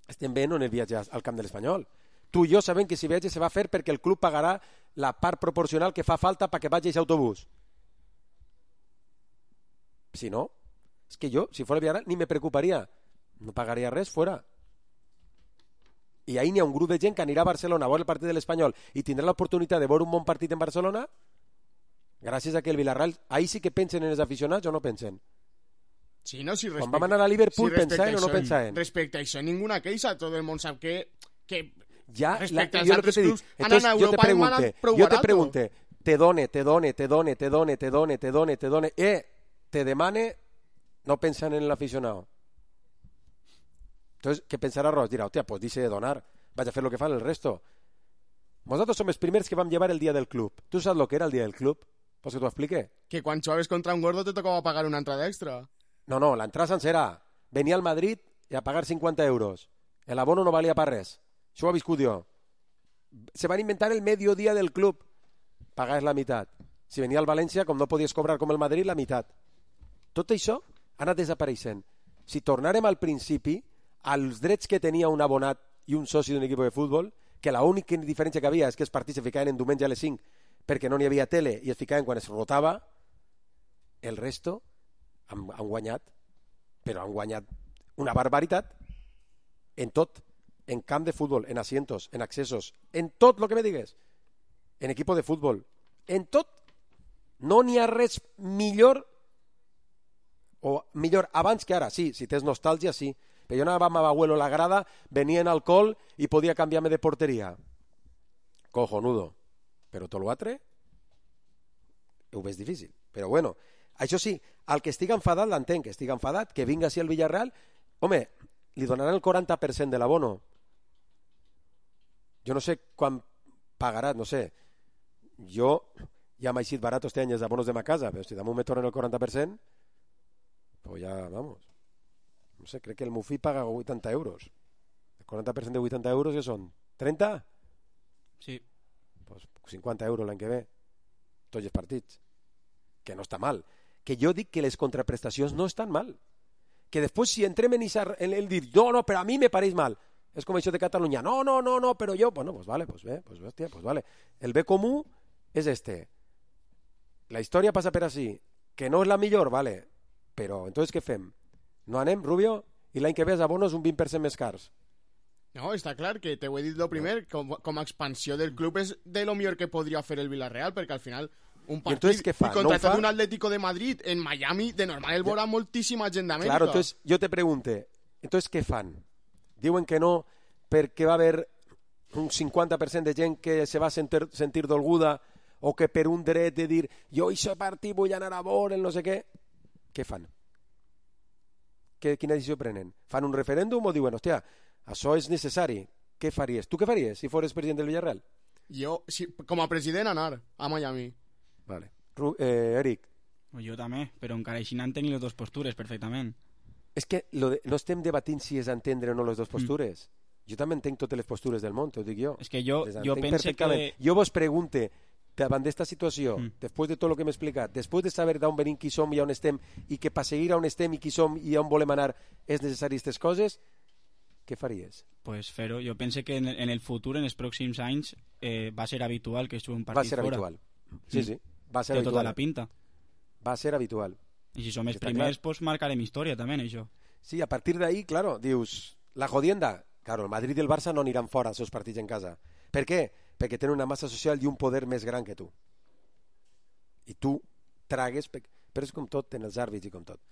estem bé en el viatge al camp de l'Espanyol. Tu i jo sabem que si viatge se va fer perquè el club pagarà la part proporcional que fa falta perquè vagi aquest autobús. Si no, és que jo, si fos el Villarreal, ni me preocuparia. No pagaria res, fora. I ahí n'hi ha un grup de gent que anirà a Barcelona a veure el partit de l'Espanyol i tindrà l'oportunitat de veure un bon partit en Barcelona gràcies a que el Villarreal... Ahí sí que pensen en els aficionats o no pensen? Sí, no, si Quan vam anar a Liverpool, respecte pensaven o no això- pensaven? Respecte a això, ninguna queixa. Tot el món sap que, que Ja, la, respecte als jo el que altres te dic. clubs, anar Entonces, a jo te Europa van pregunte, prou jo te barato. pregunte, te done, te done, te done, te done, te done, te done, te done, eh, te demane, no pensan en el aficionado. Entonces, ¿qué pensará Ross? Dirá, hostia, pues dice de donar, vaya a hacer lo que fa el resto. Nosotros somos los primeros que vam llevar el día del club. ¿Tú sabes lo que era el día del club? Pues que t'ho explique. que quan jugaves contra un gordo te tocava pagar una entrada extra. No, no, la entrada sencera. Venia al Madrid i a pagar cinquanta euros. El abono no valia per res. Això ho he viscut jo. Se van inventar el mediodía del club. Pagaves la meitat. Si venia al València, com no podies cobrar com el Madrid, la meitat. Tot això ha anat desapareixent. Si tornàrem al principi, als drets que tenia un abonat i un soci d'un equip de futbol, que l'única diferència que havia és que els partits se ficaven en diumenge a les cinc perquè no n'hi havia tele i es ficaven quan es rotava, el resto han, han guanyat, però han guanyat una barbaritat en tot, en camp de futbol, en asientos, en accessos, en tot el que me digues, en equipo de futbol, en tot. No n'hi ha res millor o millor abans que ara. Sí, si tens nostàlgia, sí. Però jo anava amb abuelo a la grada, venia en alcohol i podia canviar-me de porteria. Cojonudo. Però tot l'altre ho veig difícil. Però bueno, això sí, al que estigui enfadat l'entenc, que estigui enfadat, que vinga així al Villarreal, home, li donaran el quaranta per cent de l'abono. jo no sé quan pagaràs, no sé. Jo ja m'ha eixit barat este any els abonos de ma casa, però si damunt me tornen el quaranta per cent, pues ja, vamos. No sé, crec que el meu fill paga vuitanta euros. El quaranta per cent de vuitanta euros ja són trenta? Sí. Pues cinquanta euros l'any que ve. Tots els partits. Que no està mal. Que jo dic que les contraprestacions no estan mal. Que després si entrem en, esa, en el dir no, no, però a mi me pareix mal, és com això de Catalunya, no, no, no, no, però jo, bueno, pues vale, pues bé, pues, hòstia, pues vale. El bé comú és este. La història passa per així, que no és la millor, vale, però entonces què fem? No anem, Rubio? I l'any que ve els abonos un vint per cent més cars. No, està clar que te ho he dit lo primer, com, com a expansió del club és de lo millor que podria fer el Villarreal, perquè al final un partit entonces, ¿qué fa? y contratar ¿No fa? un Atlético de Madrid en Miami, de normal el veurà moltíssima gent d'Amèrica. Claro, entonces yo te pregunte, entonces què fan? Diuen que no perquè va haver un cinquanta per cent de gent que se va sentir, sentir dolguda o que per un dret de dir jo això partit vull anar a veure el no sé què. Què fan? Que, quina decisió prenen? Fan un referèndum o diuen, hòstia, això és necessari? Què faries? Tu què faries si fores president del Villarreal? Jo, si, com a president, anar a Miami. Vale. Ru eh, Eric. Jo també, però encara així n'han tenit les dues postures perfectament. És que lo de, no estem debatint si és entendre o no les dues postures. Mm. Jo també entenc totes les postures del món, t'ho dic jo. És que jo, les jo pense que... Jo vos pregunte, davant d'esta situació, mm. després de tot el que m'he explicat, després de saber d'on venim, qui som i on estem, i que per seguir on estem i qui som i on volem anar és necessari aquestes coses, què faries? Pues fer-ho. Jo pense que en, en el futur, en els pròxims anys, eh, va ser habitual que es jugui un partit fora. Va ser fora. habitual. Sí, sí. Va ser Té habitual. tota la pinta. Va ser habitual. I si som els Està primers, clar. pues marcarem història també en això. Sí, a partir d'ahí, claro, dius, la jodienda, claro, el Madrid i el Barça no aniran fora els seus partits en casa. Per què? Perquè tenen una massa social i un poder més gran que tu. I tu tragues, però és com tot en els àrbits i com tot.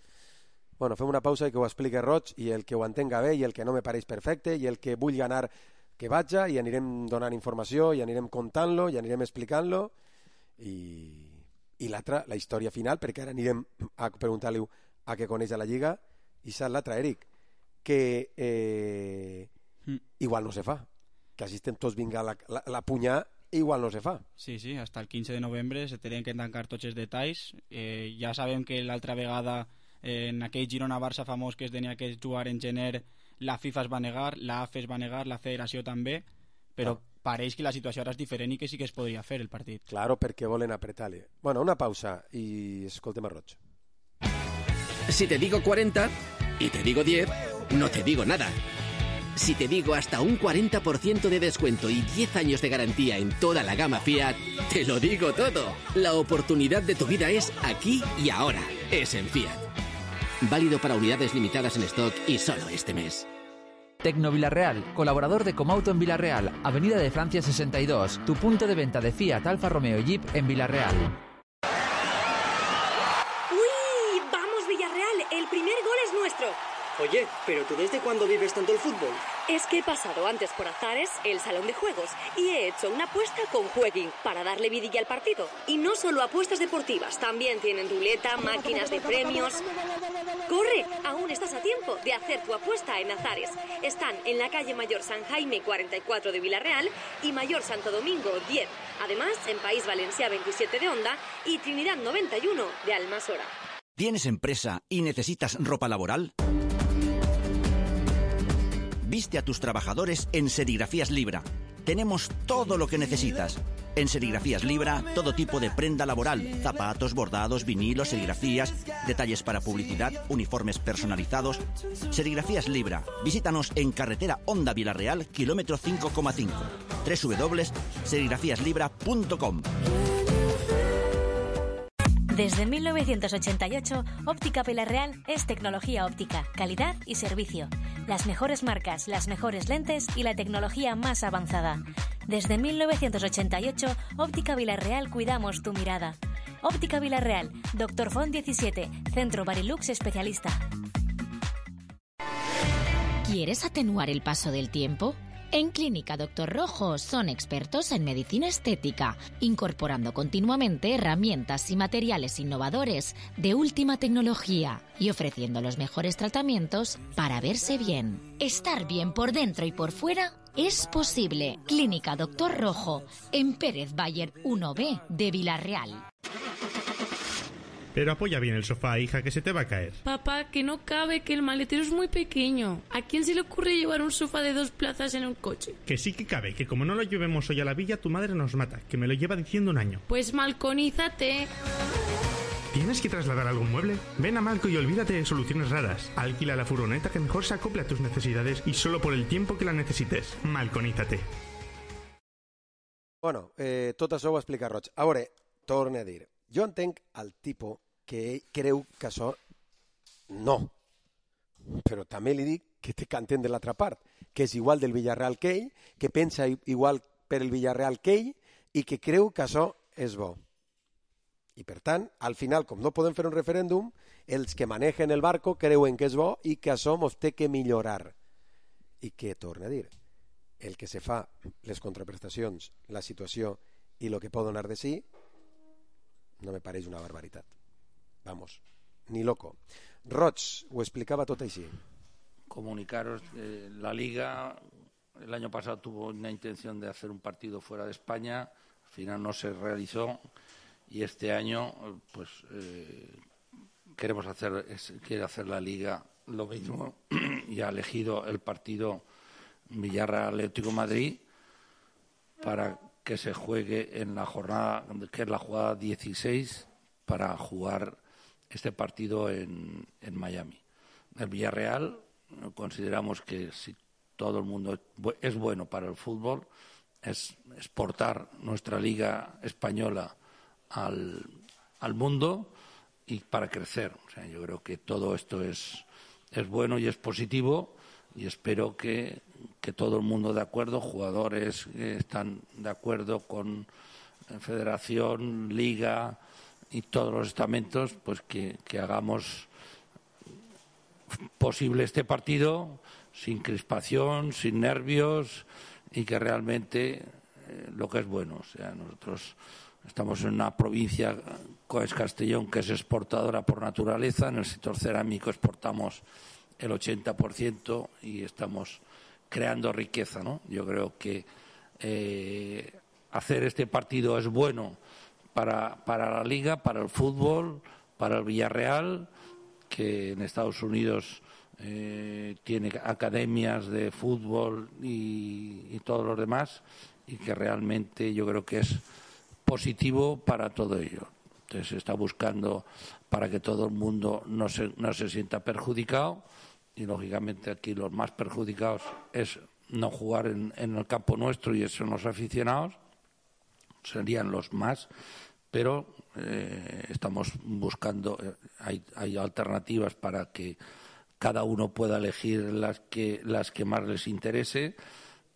Bueno, fem una pausa i que ho expliqui Roig, i el que ho entenga bé i el que no me pareix perfecte i el que vulgui anar que vaja, i anirem donant informació i anirem contant-lo i anirem explicant-lo i, i l'altra, la història final, perquè ara anirem a preguntar-li a què coneix a la Lliga, i saps l'altra, Eric, que eh, mm. igual no se fa, que així estem tots vinga la, la, la punyar, igual no se fa. Sí, sí, hasta el quinze de novembre se tenen que tancar tots els detalls. Eh, ja sabem que l'altra vegada eh, en aquell Girona-Barça famós que es tenia que jugar en gener, la FIFA es va negar, la A F E es va negar, la Federació també, però no. Pareix que la situació ara és diferent i que sí que es podria fer el partit. Claro, perquè volen apretar-li. Bueno, una pausa i escoltem a Roig. Si te digo cuarenta y te digo diez, no te digo nada. Si te digo hasta un cuarenta por ciento de descuento y diez años de garantía en toda la gama Fiat, te lo digo todo. La oportunidad de tu vida es aquí y ahora. Es en Fiat. Válido para unidades limitadas en stock y solo este mes. Tecno Villarreal, colaborador de Comauto en Villarreal, Avenida de Francia sesenta y dos, tu punto de venta de Fiat, Alfa Romeo y Jeep en Villarreal. ¡Uy! ¡Vamos, Villarreal! El primer gol es nuestro. Oye, ¿pero tú desde cuándo vives tanto el fútbol? Es que he pasado antes por Azares, el salón de juegos, y he hecho una apuesta con Jueguin para darle vidilla al partido. Y no solo apuestas deportivas, también tienen ruleta, máquinas de premios. ¡Corre! Aún estás a tiempo de hacer tu apuesta en Azares. Están en la calle Mayor San Jaime cuarenta y cuatro de Villarreal y Mayor Santo Domingo diez. Además, en País Valencia veintisiete de Onda y Trinidad noventa y uno de Almasora. ¿Tienes empresa y necesitas ropa laboral? Viste a tus trabajadores en Serigrafías Libra. Tenemos todo lo que necesitas. En Serigrafías Libra, todo tipo de prenda laboral, zapatos, bordados, vinilos, serigrafías, detalles para publicidad, uniformes personalizados. Serigrafías Libra. Visítanos en carretera Honda Villarreal, kilómetro cinco coma cinco. doble u doble u doble u punto serigrafías libra punto com. Desde mil novecientos ochenta y ocho, Óptica Villarreal es tecnología óptica, calidad y servicio. Las mejores marcas, las mejores lentes y la tecnología más avanzada. Desde mil novecientos ochenta y ocho, Óptica Villarreal cuidamos tu mirada. Óptica Villarreal, Doctor Font diecisiete, Centro Barilux especialista. ¿Quieres atenuar el paso del tiempo? En Clínica Doctor Rojo son expertos en medicina estética, incorporando continuamente herramientas y materiales innovadores de última tecnología y ofreciendo los mejores tratamientos para verse bien. Estar bien por dentro y por fuera Es posible. Clínica Doctor Rojo, en Pérez Bayer uno B de Villarreal. Pero apoya bien el sofá, hija, que se te va a caer. Papá, que no cabe, que el maletero es muy pequeño. ¿A quién se le ocurre llevar un sofá de dos plazas en un coche? Que sí que cabe, que como no lo llevemos hoy a la villa, tu madre nos mata, que me lo lleva diciendo un año. Pues malconízate. ¿Tienes que trasladar algún mueble? Ven a Malco y olvídate de soluciones raras. Alquila la furgoneta que mejor se acople a tus necesidades y solo por el tiempo que la necesites. Malconízate. Bueno, eh, tot això ho explica Roig. A veure, torne a dir. Jo entenc el tipus que ell creu que això no. Però també li dic que té que entendre l'altra part, que és igual del Villarreal que ell, que pensa igual per el Villarreal que ell i que creu que això és bo. I per tant, al final, com no podem fer un referèndum, els que manegen el barco creuen que és bo i que això mos té que millorar. I que, torne a dir, el que se fa, les contraprestacions, la situació i el que pot donar de sí, no me pareix una barbaritat. Vamos, ni loco. Roig ho explicaba tot així. Comunicaros, eh, la Liga el año pasado tuvo una intención de hacer un partido fuera de España, al final no se realizó y este año pues eh, queremos hacer, es, quiere hacer la Liga lo mismo y ha elegido el partido Villarreal Atlético de Madrid para que se juegue en la jornada, que es la jugada dieciséis, para jugar este partido en, en Miami. El Villarreal consideramos que si todo el mundo es bueno para el fútbol, es exportar nuestra liga española al, al mundo y para crecer. O sea, yo creo que todo esto es, es bueno y es positivo y espero que, que todo el mundo de acuerdo, jugadores que están de acuerdo con Federación, Liga y todos los estamentos, pues que, que hagamos posible este partido sin crispación, sin nervios y que realmente eh, lo que es bueno. O sea, nosotros estamos en una provincia, que es Castellón, que es exportadora por naturaleza. En el sector cerámico exportamos el ochenta por ciento y estamos creando riqueza, ¿no? Yo creo que eh, hacer este partido es bueno para, para la Liga, para el fútbol, para el Villarreal, que en Estados Unidos eh, tiene academias de fútbol y, y todos los demás, y que realmente yo creo que es positivo para todo ello. Entonces se está buscando para que todo el mundo no se, no se sienta perjudicado y lógicamente aquí los más perjudicados es no jugar en, en el campo nuestro y eso son los aficionados, serían los más, pero eh, estamos buscando, eh, hay, hay alternativas para que cada uno pueda elegir las que, las que más les interese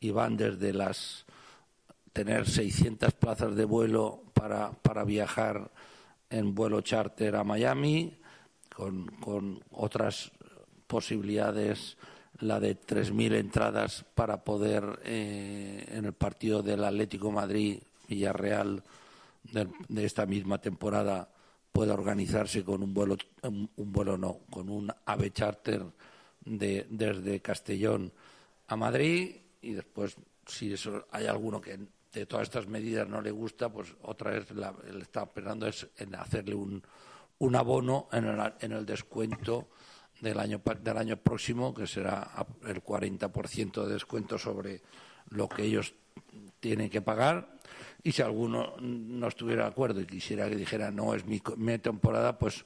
y van desde las tener seiscientas plazas de vuelo para, para viajar en vuelo charter a Miami, con, con otras posibilidades, la de tres mil entradas para poder eh, en el partido del Atlético Madrid Villarreal de, de esta misma temporada pueda organizarse con un vuelo, un, un vuelo no, con un AVE charter de, desde Castellón a Madrid y después si eso hay alguno que de todas estas medidas no le gusta, pues otra vez la, le está esperando es en hacerle un, un abono en el, en el descuento del año del año próximo, que será el cuarenta por ciento de descuento sobre lo que ellos tienen que pagar. Y si alguno no estuviera de acuerdo y quisiera que dijera no es mi, mi temporada, pues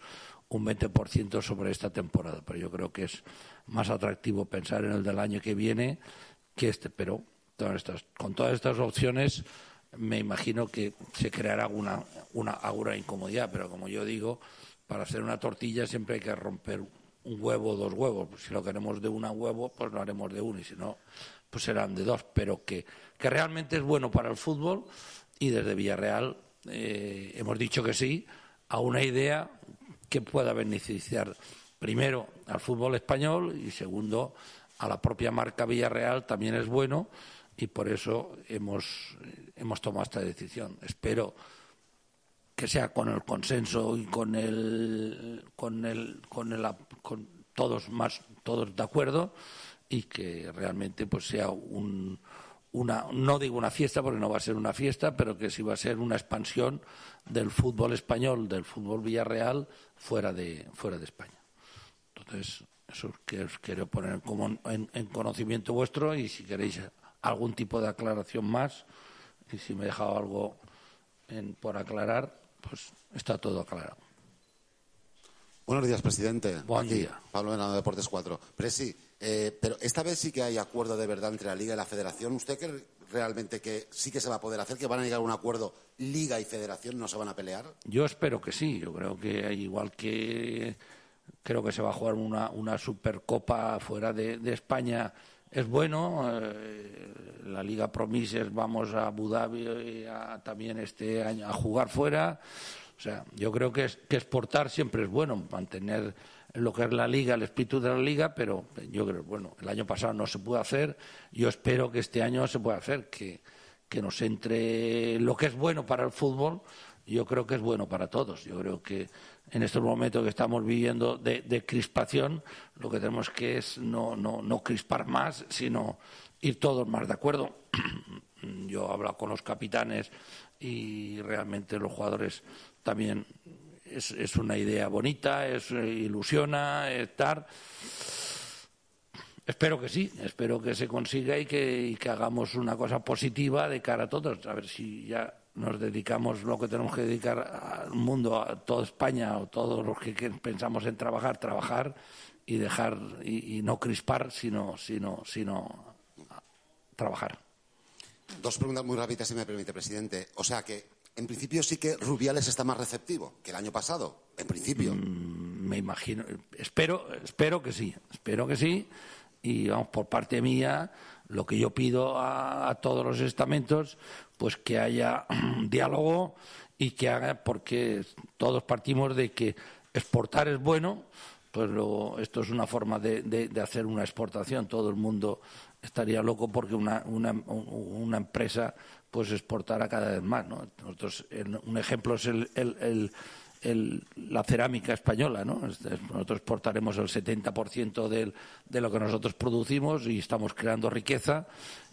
un veinte por ciento sobre esta temporada. Pero yo creo que es más atractivo pensar en el del año que viene que este. Pero todas estas, con todas estas opciones me imagino que se creará una, una, alguna incomodidad. Pero como yo digo, para hacer una tortilla siempre hay que romper un huevo o dos huevos. Si lo queremos de un huevo, pues lo haremos de uno, y si no, pues serán de dos. Pero que, que realmente es bueno para el fútbol, y desde Villarreal eh, hemos dicho que sí a una idea que pueda beneficiar primero al fútbol español y segundo a la propia marca Villarreal. También es bueno y por eso hemos, hemos tomado esta decisión. Espero que sea con el consenso y con el con el con el con todos más todos de acuerdo y que realmente pues sea un, una, no digo una fiesta porque no va a ser una fiesta, pero que sí va a ser una expansión del fútbol español, del fútbol Villarreal fuera de, fuera de España. Entonces, eso es que os quiero poner como en, en conocimiento vuestro, y si queréis algún tipo de aclaración más, y si me he dejado algo en, por aclarar, pues está todo aclarado. Buenos días, presidente. Buen Aquí, día. Pablo Venado, Deportes cuatro. Presi, eh, pero esta vez sí que hay acuerdo de verdad entre la Liga y la Federación. ¿Usted cree realmente que sí que se va a poder hacer, que van a llegar a un acuerdo Liga y Federación, no se van a pelear? Yo espero que sí. Yo creo que igual que creo que se va a jugar una, una Supercopa fuera de, de España, es bueno. Eh, la Liga Promises, vamos a Abu Dhabi a, también este año a jugar fuera. O sea, yo creo que, es, que exportar siempre es bueno, mantener lo que es la Liga, el espíritu de la Liga, pero yo creo, bueno, el año pasado no se pudo hacer, yo espero que este año se pueda hacer, que, que nos entre lo que es bueno para el fútbol, yo creo que es bueno para todos. Yo creo que en estos momentos que estamos viviendo de, de crispación, lo que tenemos que es no, no, no crispar más, sino ir todos más de acuerdo. Yo he hablado con los capitanes y realmente los jugadores también es, es una idea bonita, es ilusiona estar. Espero que sí, espero que se consiga y que, y que hagamos una cosa positiva de cara a todos. A ver si ya nos dedicamos lo que tenemos que dedicar al mundo, a toda España o todos los que, que pensamos en trabajar, trabajar y dejar y, y no crispar, sino, sino, sino trabajar. Dos preguntas muy rápidas, si me permite, presidente. O sea que, en principio, sí que Rubiales está más receptivo que el año pasado, en principio. Mm, me imagino, espero, espero que sí, espero que sí. Y vamos, por parte mía, lo que yo pido a, a todos los estamentos, pues que haya diálogo y que haga, porque todos partimos de que exportar es bueno, pues luego esto es una forma de, de, de hacer una exportación. Todo el mundo estaría loco porque una, una, una empresa pues exportara cada vez más, ¿no? Nosotros, el, un ejemplo es el, el, el, el, la cerámica española, ¿no? Nosotros exportaremos el setenta por ciento del, de lo que nosotros producimos y estamos creando riqueza,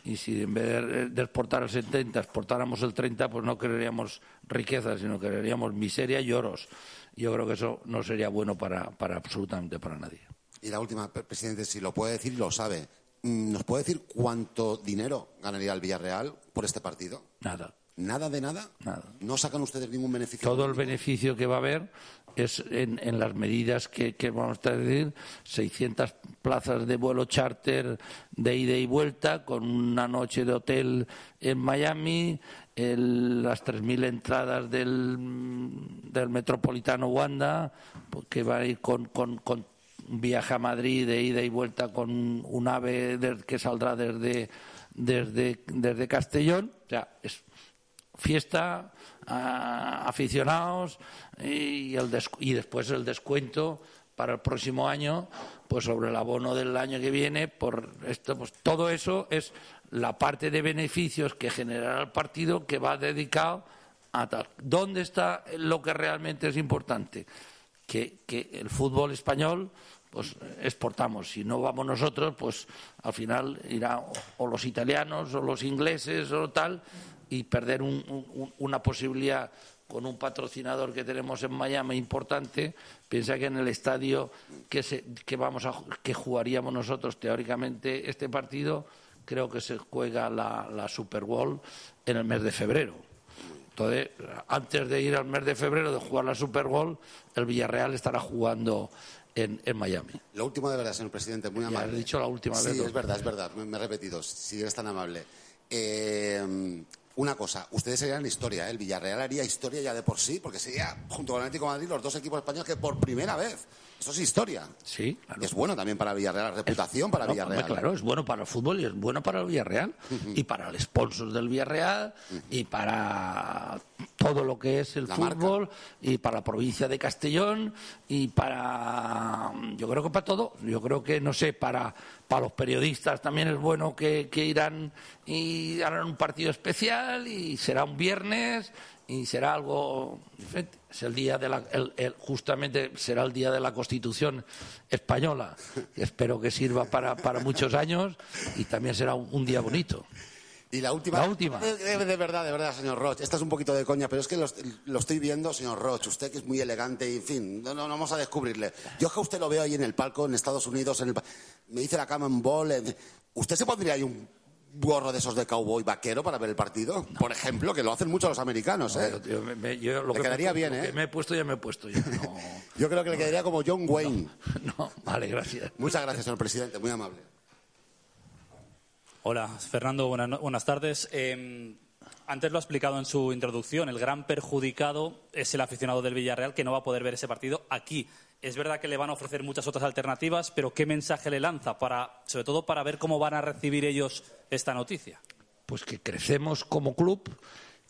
y si en vez de, de exportar el setenta exportáramos el treinta, pues no crearíamos riqueza, sino crearíamos miseria y oros. Yo creo que eso no sería bueno para, para absolutamente para nadie. Y la última, presidente, si lo puede decir, lo sabe. ¿Nos puede decir cuánto dinero ganaría el Villarreal por este partido? Nada. ¿Nada de nada? Nada. ¿No sacan ustedes ningún beneficio? Todo el beneficio que va a haber es en, en las medidas que, que vamos a decir, seiscientas plazas de vuelo charter de ida y vuelta, con una noche de hotel en Miami, el, las tres mil entradas del, del Metropolitano Wanda, que va a ir con... con, con un viaje a Madrid de ida y vuelta con un AVE de, que saldrá desde, desde, desde Castellón. O sea, es fiesta, a, aficionados y, el des, y después el descuento para el próximo año, pues sobre el abono del año que viene. Por esto, pues todo eso es la parte de beneficios que generará el partido, que va dedicado a tal. ¿Dónde está lo que realmente es importante? Que, que el fútbol español pues exportamos. Si no vamos nosotros, pues al final irá o los italianos o los ingleses o tal, y perder un, un, una posibilidad con un patrocinador que tenemos en Miami importante. Piensa que en el estadio que, se, que, vamos a, que jugaríamos nosotros teóricamente este partido, creo que se juega la, la Super Bowl en el mes de febrero. Entonces, antes de ir al mes de febrero de jugar la Super Bowl, el Villarreal estará jugando en, en Miami. Lo último de verdad, señor presidente, muy amable. Ya he dicho la última sí, vez. Sí, es verdad, es verdad, me, me he repetido, si eres tan amable. Eh, una cosa, ustedes serían la historia, ¿eh? El Villarreal haría historia ya de por sí, porque sería, junto con el Atlético de Madrid, los dos equipos españoles que por primera vez. Eso es historia. Sí, claro. Es bueno también para Villarreal, la reputación es, para no, Villarreal. Claro, es bueno para el fútbol y es bueno para el Villarreal, uh-huh. y para el sponsor del Villarreal, uh-huh. y para todo lo que es el la fútbol, marca. Y para la provincia de Castellón, y para, yo creo que para todo. Yo creo que, no sé, para, para los periodistas también es bueno que, que irán y harán un partido especial, y será un viernes, y será algo diferente. Es el día de la, el, el, justamente será el día de la Constitución española, que espero que sirva para, para muchos años, y también será un, un día bonito. Y la última, la última. De, de, de verdad, de verdad, señor Roch, esta es un poquito de coña, pero es que lo, lo estoy viendo, señor Roch, usted que es muy elegante y, en fin, no, no, no vamos a descubrirle. Yo es que a usted lo veo ahí en el palco, en Estados Unidos, en el, me dice la Common Ball, en, ¿usted se pondría ahí un gorro de esos de cowboy vaquero para ver el partido? No. Por ejemplo, que lo hacen mucho los americanos, ¿eh? No, yo, me, yo, lo le que quedaría me, bien, lo ¿eh? Que me he puesto ya me he puesto. Ya, no. Yo creo que le quedaría como John Wayne. No, no, vale, gracias. Muchas gracias, señor presidente, muy amable. Hola, Fernando, buenas, buenas tardes. Eh, antes lo ha explicado en su introducción, el gran perjudicado es el aficionado del Villarreal, que no va a poder ver ese partido aquí. Es verdad que le van a ofrecer muchas otras alternativas, pero ¿qué mensaje le lanza, para, sobre todo para ver cómo van a recibir ellos esta noticia? Pues que crecemos como club,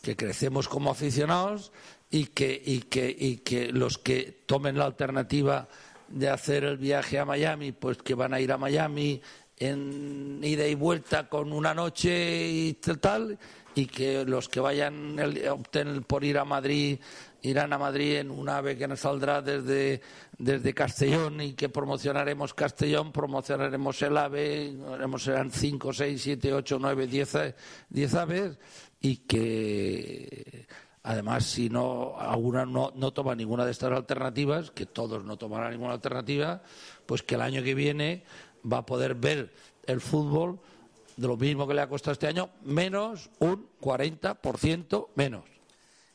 que crecemos como aficionados y que, y que, y que los que tomen la alternativa de hacer el viaje a Miami, pues que van a ir a Miami en ida y vuelta con una noche y tal, y que los que vayan opten por ir a Madrid irán a Madrid en un AVE que nos saldrá desde, desde Castellón, y que promocionaremos Castellón, promocionaremos el AVE, haremos, serán cinco, seis, siete, ocho, nueve, diez, diez AVEs, y que además, si no alguna no, no toma ninguna de estas alternativas, que todos no tomarán ninguna alternativa, pues que el año que viene va a poder ver el fútbol de lo mismo que le ha costado este año, menos un cuarenta por ciento menos.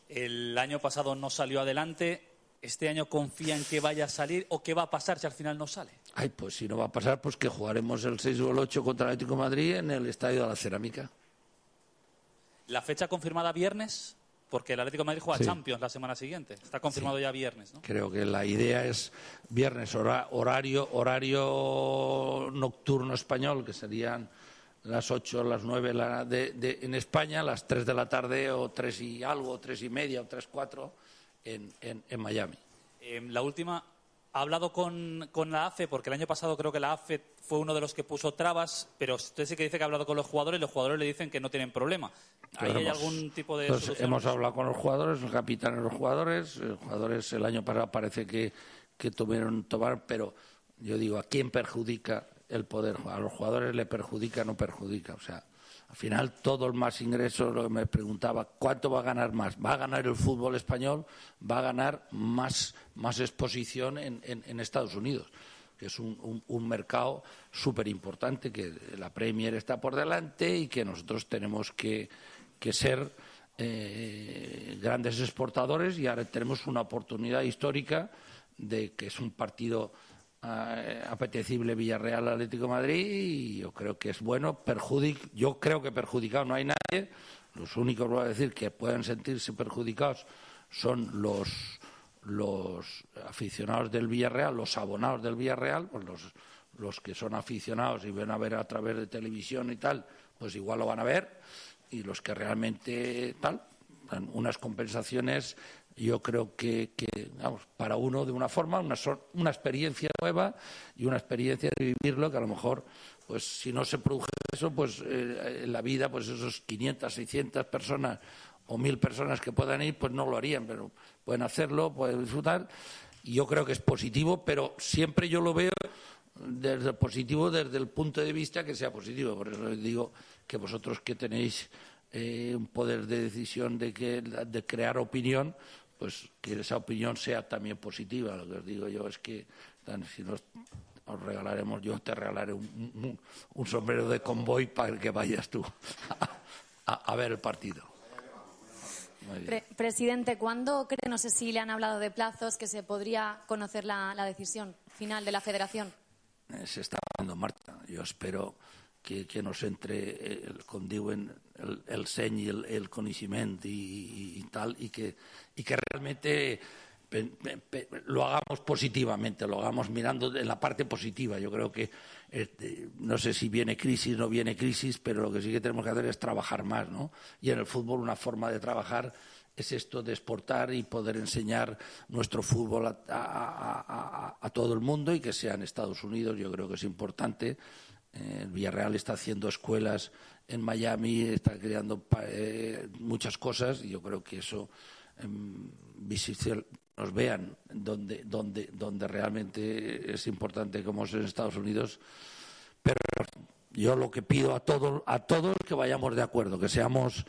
El año pasado no salió adelante. ¿Este año confía en que vaya a salir o qué va a pasar si al final no sale? Ay, pues si no va a pasar, pues que jugaremos el seis o el ocho contra el Atlético de Madrid en el Estadio de la Cerámica. ¿La fecha confirmada viernes? Porque el Atlético de Madrid juega sí. Champions la semana siguiente. Está confirmado sí. ya viernes, ¿no? Creo que la idea es viernes, hora, horario, horario nocturno español, que serían las ocho, las nueve la de, de, en España, las tres de la tarde o tres y algo, tres y media o tres, cuatro en, en, en Miami. Eh, la última, ha hablado con, con la A F E, porque el año pasado creo que la A F E fue uno de los que puso trabas, pero usted sí que dice que ha hablado con los jugadores y los jugadores le dicen que no tienen problema. ¿Ahí hay hemos, algún tipo de pues solución? Hemos hablado con los jugadores, el capitán de los jugadores, los jugadores el año pasado parece que, que tuvieron tomar, pero yo digo, ¿a quién perjudica el poder? A los jugadores le perjudica, no perjudica. O sea, al final todo el más ingresos, lo que me preguntaba, ¿cuánto va a ganar más? ¿Va a ganar el fútbol español? Va a ganar más, más exposición en, en, en Estados Unidos, que es un, un, un mercado súper importante, que la Premier está por delante y que nosotros tenemos que, que ser eh, grandes exportadores, y ahora tenemos una oportunidad histórica de que es un partido eh, apetecible Villarreal Atlético de Madrid, y yo creo que es bueno. Perjudic, yo creo que perjudicado no hay nadie. Los únicos, voy a decir, que pueden sentirse perjudicados son los los aficionados del Villarreal, los abonados del Villarreal, pues los, los que son aficionados y ven a ver a través de televisión y tal, pues igual lo van a ver, y los que realmente tal, unas compensaciones, yo creo que, que vamos, para uno de una forma, una, una experiencia nueva y una experiencia de vivirlo, que a lo mejor, pues si no se produce eso, pues eh, en la vida, pues esos quinientas, seiscientas personas o mil personas que puedan ir, pues no lo harían, pero pueden hacerlo, pueden disfrutar, y yo creo que es positivo, pero siempre yo lo veo desde el positivo, desde el punto de vista que sea positivo. Por eso les digo que vosotros que tenéis eh, un poder de decisión de, que, de crear opinión, pues que esa opinión sea también positiva. Lo que os digo yo es que si nos os regalaremos, yo te regalaré un, un, un sombrero de convoy para que vayas tú a, a ver el partido. Pre presidente, ¿cuándo cree, no sé si le han hablado de plazos, que se podría conocer la, la decisión final de la Federación? Eh, se está dando marcha. Yo espero que, que nos entre el, con diuen, el, el seny i el, el coneixement i, i, i tal, y que, y que realmente pe, pe, pe, lo hagamos positivamente, lo hagamos mirando en la parte positiva. Yo creo que eh, no sé si viene crisis, no viene crisis, pero lo que sí que tenemos que hacer es trabajar más, ¿no? Y en el fútbol una forma de trabajar es esto de exportar y poder enseñar nuestro fútbol a, a, a, a, a todo el mundo, y que sea en Estados Unidos. Yo creo que es importante Eh, el Villarreal está haciendo escuelas en Miami, está creando eh, muchas cosas y yo creo que eso eh, nos vean donde, donde, donde realmente es importante como es en Estados Unidos. Pero yo lo que pido a todos, a todos que vayamos de acuerdo, que seamos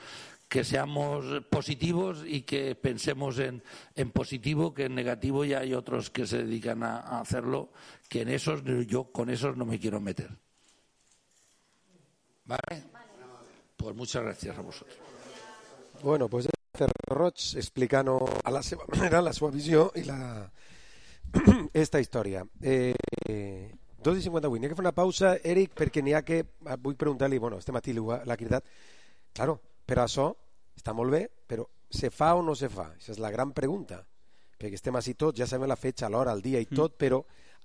que seamos positivos y que pensemos en, en positivo, que en negativo ya hay otros que se dedican a, a hacerlo, que en esos yo con esos no me quiero meter. ¿Vale? Pues muchas gracias a vosotros. Bueno, pues Roig explicant a la seva manera la seva visió i la... esta història. Eh, dos i cinquanta-vuit, n'hi ha que fer una pausa, Eric, perquè n'hi ha que... Vull preguntar-li, bueno, este matí l'ha cridat. Claro, però això està molt bé, però se fa o no se fa? Aquesta és la gran pregunta. Perquè estem així tots, ja sabem la fetge, l'hora, el dia i tot, però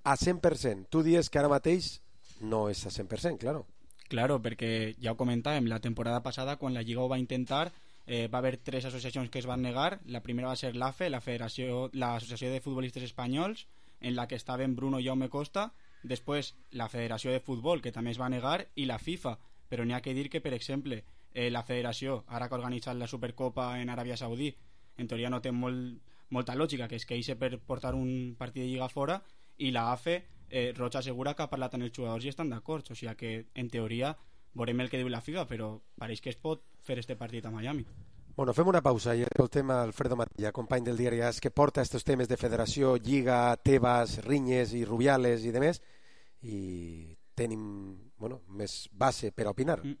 a cent per cent. Tu dius que ara mateix no és a cent per cent, claro. Claro, perquè ja ho comentàvem, la temporada passada, quan la Lliga ho va intentar, eh, va haver tres associacions que es van negar. La primera va ser l'A F E, la Federació, l'Associació de Futbolistes Espanyols, en la que estaven Bruno i Jaume Costa, després la Federació de Futbol, que també es va negar, i la FIFA. Però n'hi ha que dir que, per exemple, eh, la federació, ara que ha organitzat la Supercopa en Aràbia Saudí, en teoria no té molt, molta lògica, que es queixa per portar un partit de Lliga fora, i la A F E, eh, Roig assegura que ha parlat amb els jugadors i estan d'acord, o sigui que en teoria veurem el que diu la FIFA, però pareix que es pot fer este partit a Miami. Bueno, fem una pausa i escoltem a Alfredo Matilla, company del diari AS, que porta estos temes de federació, Lliga, Tebas, Rinyes i Rubiales i demés, i tenim, bueno, més base per a opinar. Mm.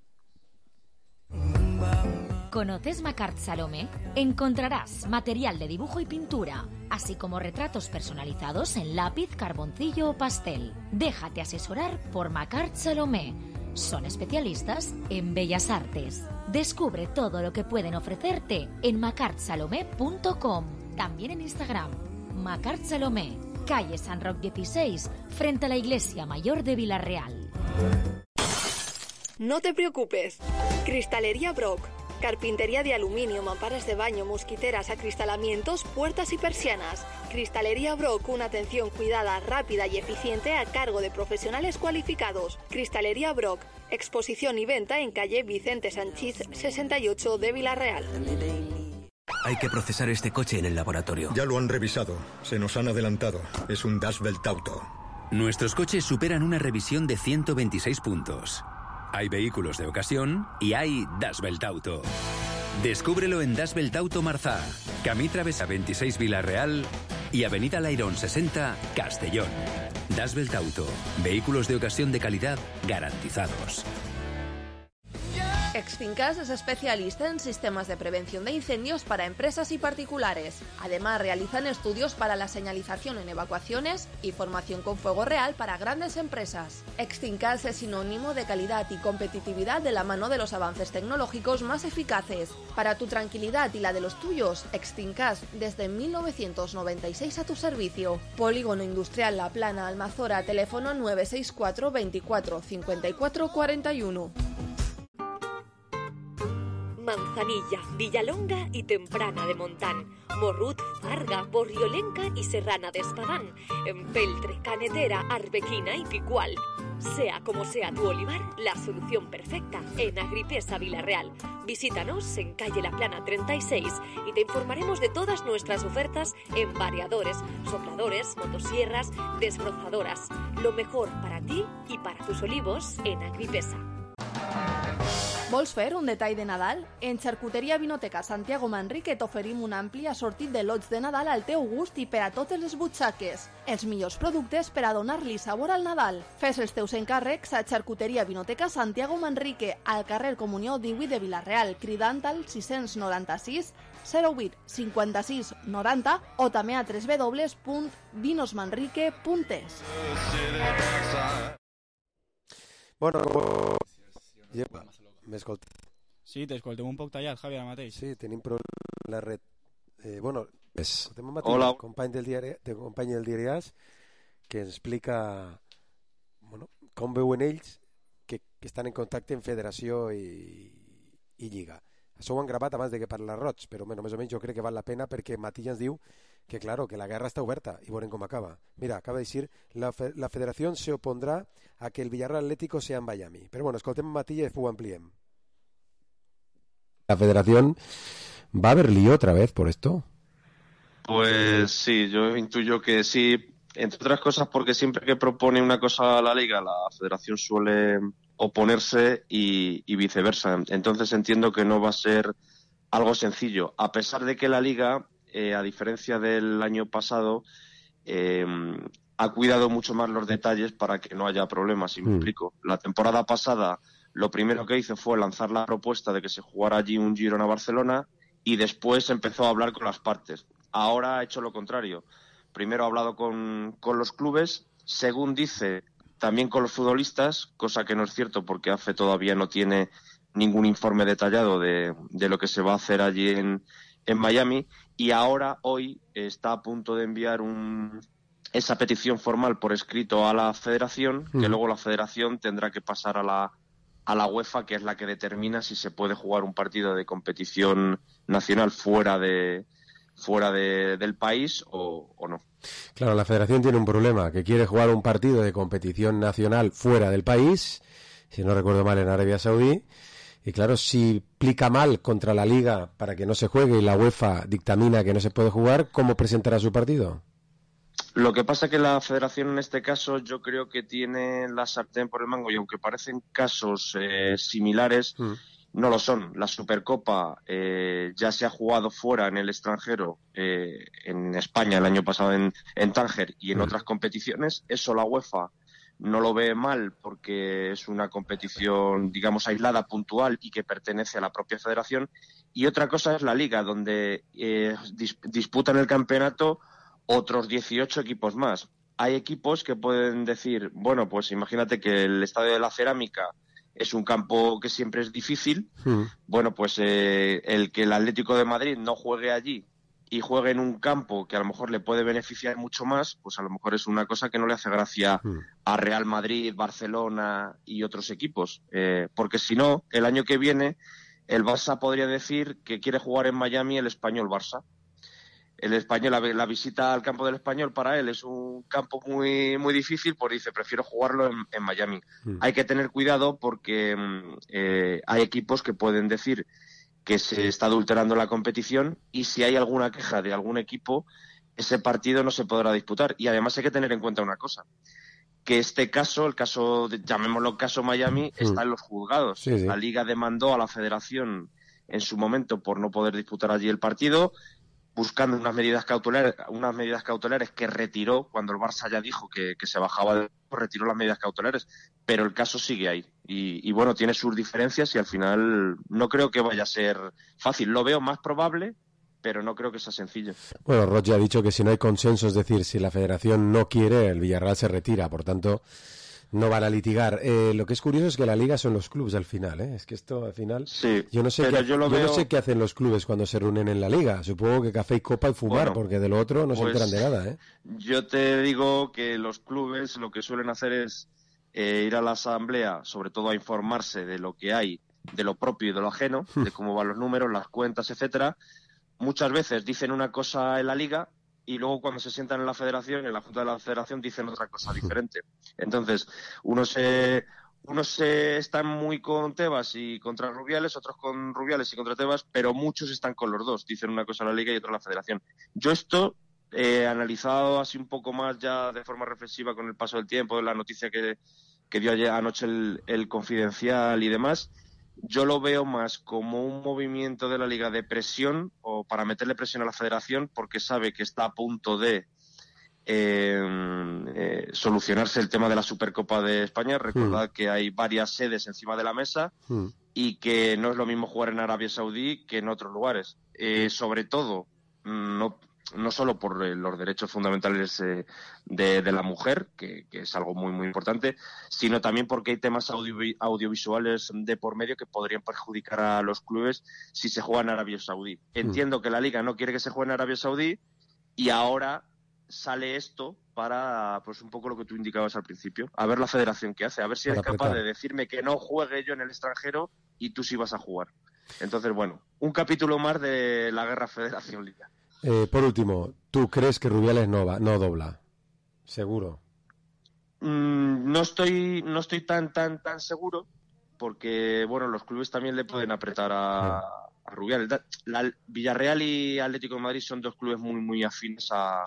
¿Conoces Macart Salomé? Encontrarás material de dibujo y pintura, así como retratos personalizados en lápiz, carboncillo o pastel. Déjate asesorar por Macart Salomé. Son especialistas en bellas artes. Descubre todo lo que pueden ofrecerte en macart salomé punto com. También en Instagram. Macart Salomé, calle San Roc dieciséis, frente a la Iglesia Mayor de Villarreal. No te preocupes. Cristalería Brock. Carpintería de aluminio, mamparas de baño, mosquiteras, acristalamientos, puertas y persianas. Cristalería Brock, una atención cuidada, rápida y eficiente a cargo de profesionales cualificados. Cristalería Brock, exposición y venta en calle Vicente Sanchís sesenta y ocho de Villarreal. Hay que procesar este coche en el laboratorio. Ya lo han revisado. Se nos han adelantado. Es un Das Welt Auto. Nuestros coches superan una revisión de ciento veintiséis puntos. Hay vehículos de ocasión y hay Das Welt Auto. Descúbrelo en Das Welt Auto Marzá, Camí Travesa veintiséis Villarreal y Avenida Lairón sesenta Castellón. Das Welt Auto. Vehículos de ocasión de calidad garantizados. Exfincas es especialista en sistemas de prevención de incendios para empresas y particulares. Además, realizan estudios para la señalización en evacuaciones y formación con fuego real para grandes empresas. Exfincas es sinónimo de calidad y competitividad de la mano de los avances tecnológicos más eficaces. Para tu tranquilidad y la de los tuyos, Exfincas desde mil novecientos noventa y seis a tu servicio. Polígono Industrial La Plana, Almazora, teléfono nueve seis cuatro veinticuatro cincuenta y cuatro cuarenta y uno. Manzanilla, Villalonga y Temprana de Montán, Morrut, Farga, Borriolenca y Serrana de Espadán, Empeltre, Canetera, Arbequina y Picual. Sea como sea tu olivar, la solución perfecta en Agripesa Villarreal. Visítanos en calle La Plana treinta y seis y te informaremos de todas nuestras ofertas en variadores, sopladores, motosierras, desbrozadoras. Lo mejor para ti y para tus olivos en Agripesa. Vols fer un detall de Nadal? En Xarcuteria Vinoteca Santiago Manrique t'oferim un ampli assortit de lots de Nadal al teu gust i per a totes les butxaques. Els millors productes per a donar-li sabor al Nadal. Fes els teus encàrrecs a Xarcuteria Vinoteca Santiago Manrique, al carrer Comunió divuit de Villarreal, cridant al sis noranta sis zero vuit cinquanta-sis noranta o també a w w w punt vinosmanrique punt es. Bueno, lleva. M'escolta. Sí, t'escoltem un poc tallat, Javi, ara mateix. Sí, tenim problemes la red. Eh, bueno, escoltem un matí, Hola. company del diari, de company del diari AS, que ens explica bueno, com veuen ells que, que estan en contacte en federació i, i lliga. Això ho han gravat abans de que parla Roig, però bueno, més o menys jo crec que val la pena perquè Matilla ens diu que claro, que la guerra está oberta y bueno, cómo acaba. Mira, acaba de decir, la, fe, la federación se opondrá a que el Villarreal Atlético sea en Miami. Pero bueno, escoltem Matilla y después ampliem. ¿La federación va a haber lío otra vez por esto? Pues sí, yo intuyo que sí, entre otras cosas porque siempre que propone una cosa a la Liga, la federación suele oponerse y, y viceversa. Entonces entiendo que no va a ser algo sencillo, a pesar de que la Liga, eh, a diferencia del año pasado, eh, ha cuidado mucho más los detalles para que no haya problemas, si me mm. explico. La temporada pasada lo primero que hizo fue lanzar la propuesta de que se jugara allí un Girona-Barcelona y después empezó a hablar con las partes. Ahora ha hecho lo contrario. Primero ha hablado con, con los clubes, según dice, también con los futbolistas, cosa que no es cierto porque A F E todavía no tiene ningún informe detallado de, de lo que se va a hacer allí en, en Miami, y ahora, hoy, está a punto de enviar un, esa petición formal por escrito a la federación, mm. que luego la federación tendrá que pasar a la, a la UEFA, que es la que determina si se puede jugar un partido de competición nacional fuera de fuera de, del país o, o no. Claro, la federación tiene un problema, que quiere jugar un partido de competición nacional fuera del país, si no recuerdo mal en Arabia Saudí, y claro, si plica mal contra la Liga para que no se juegue y la UEFA dictamina que no se puede jugar, ¿cómo presentará su partido? Lo que pasa es que la federación en este caso yo creo que tiene la sartén por el mango, y aunque parecen casos eh, similares, mm. no lo son. La Supercopa eh, ya se ha jugado fuera en el extranjero, eh, en España el año pasado en, en Tánger y en mm. otras competiciones. Eso la UEFA no lo ve mal porque es una competición, digamos, aislada, puntual y que pertenece a la propia federación. Y otra cosa es la Liga, donde eh, dis- disputan el campeonato otros dieciocho equipos más. Hay equipos que pueden decir, bueno, pues imagínate que el Estadio de la Cerámica es un campo que siempre es difícil. Mm. Bueno, pues eh, el que el Atlético de Madrid no juegue allí y juegue en un campo que a lo mejor le puede beneficiar mucho más, pues a lo mejor es una cosa que no le hace gracia mm. a Real Madrid, Barcelona y otros equipos. Eh, porque si no, el año que viene el Barça podría decir que quiere jugar en Miami el Español Barça. El Español, la, la visita al campo del Español para él es un campo muy muy difícil, pues dice, prefiero jugarlo en, en Miami. Mm. Hay que tener cuidado porque eh, hay equipos que pueden decir que se está adulterando la competición, y si hay alguna queja de algún equipo, ese partido no se podrá disputar. Y además hay que tener en cuenta una cosa, que este caso, el caso, de, llamémoslo caso Miami, mm. está en los juzgados. Sí, sí. La Liga demandó a la Federación en su momento por no poder disputar allí el partido, buscando unas medidas cautelares, unas medidas cautelares que retiró cuando el Barça ya dijo que, que se bajaba del retiró las medidas cautelares, pero el caso sigue ahí y, y bueno, tiene sus diferencias y al final no creo que vaya a ser fácil. Lo veo más probable, pero no creo que sea sencillo. Bueno, Roger ha dicho que si no hay consenso, es decir, si la federación no quiere, el Villarreal se retira, por tanto no van a litigar. Eh, lo que es curioso es que la Liga son los clubes al final, ¿eh? Es que esto al final... Sí, yo no sé, qué, yo, yo veo... no sé qué hacen los clubes cuando se reúnen en la Liga. Supongo que café y copa y fumar, bueno, porque de lo otro no pues, se enteran de nada, ¿eh? Yo te digo que los clubes lo que suelen hacer es eh, ir a la asamblea, sobre todo a informarse de lo que hay, de lo propio y de lo ajeno, de cómo van los números, las cuentas, etcétera. Muchas veces dicen una cosa en la Liga y luego cuando se sientan en la federación, en la Junta de la Federación, dicen otra cosa diferente. Entonces, unos se, unos se están muy con Tebas y contra Rubiales, otros con Rubiales y contra Tebas, pero muchos están con los dos. Dicen una cosa en la Liga y otra en la Federación. Yo esto, eh, analizado así un poco más ya de forma reflexiva con el paso del tiempo, de la noticia que, que dio ayer, anoche el, el Confidencial y demás, yo lo veo más como un movimiento de la Liga de presión o para meterle presión a la Federación porque sabe que está a punto de eh, eh, solucionarse el tema de la Supercopa de España. Recordad mm. que hay varias sedes encima de la mesa mm. y que no es lo mismo jugar en Arabia Saudí que en otros lugares. Eh, sobre todo, no no solo por eh, los derechos fundamentales eh, de, de la mujer, que, que es algo muy muy importante, sino también porque hay temas audio, audiovisuales de por medio que podrían perjudicar a los clubes si se juega en Arabia Saudí. Entiendo mm. que la Liga no quiere que se juegue en Arabia Saudí y ahora sale esto para, pues un poco lo que tú indicabas al principio, a ver la federación qué hace, a ver si para es capaz apretar. de decirme que no juegue yo en el extranjero y tú sí vas a jugar. Entonces, bueno, un capítulo más de la guerra Federación-Liga. Eh, por último, ¿tú crees que Rubiales no va, no dobla? Seguro. Mm, no estoy, no estoy tan, tan, tan seguro, porque bueno, los clubes también le pueden apretar a, a Rubiales. La, Villarreal y Atlético de Madrid son dos clubes muy, muy afines a,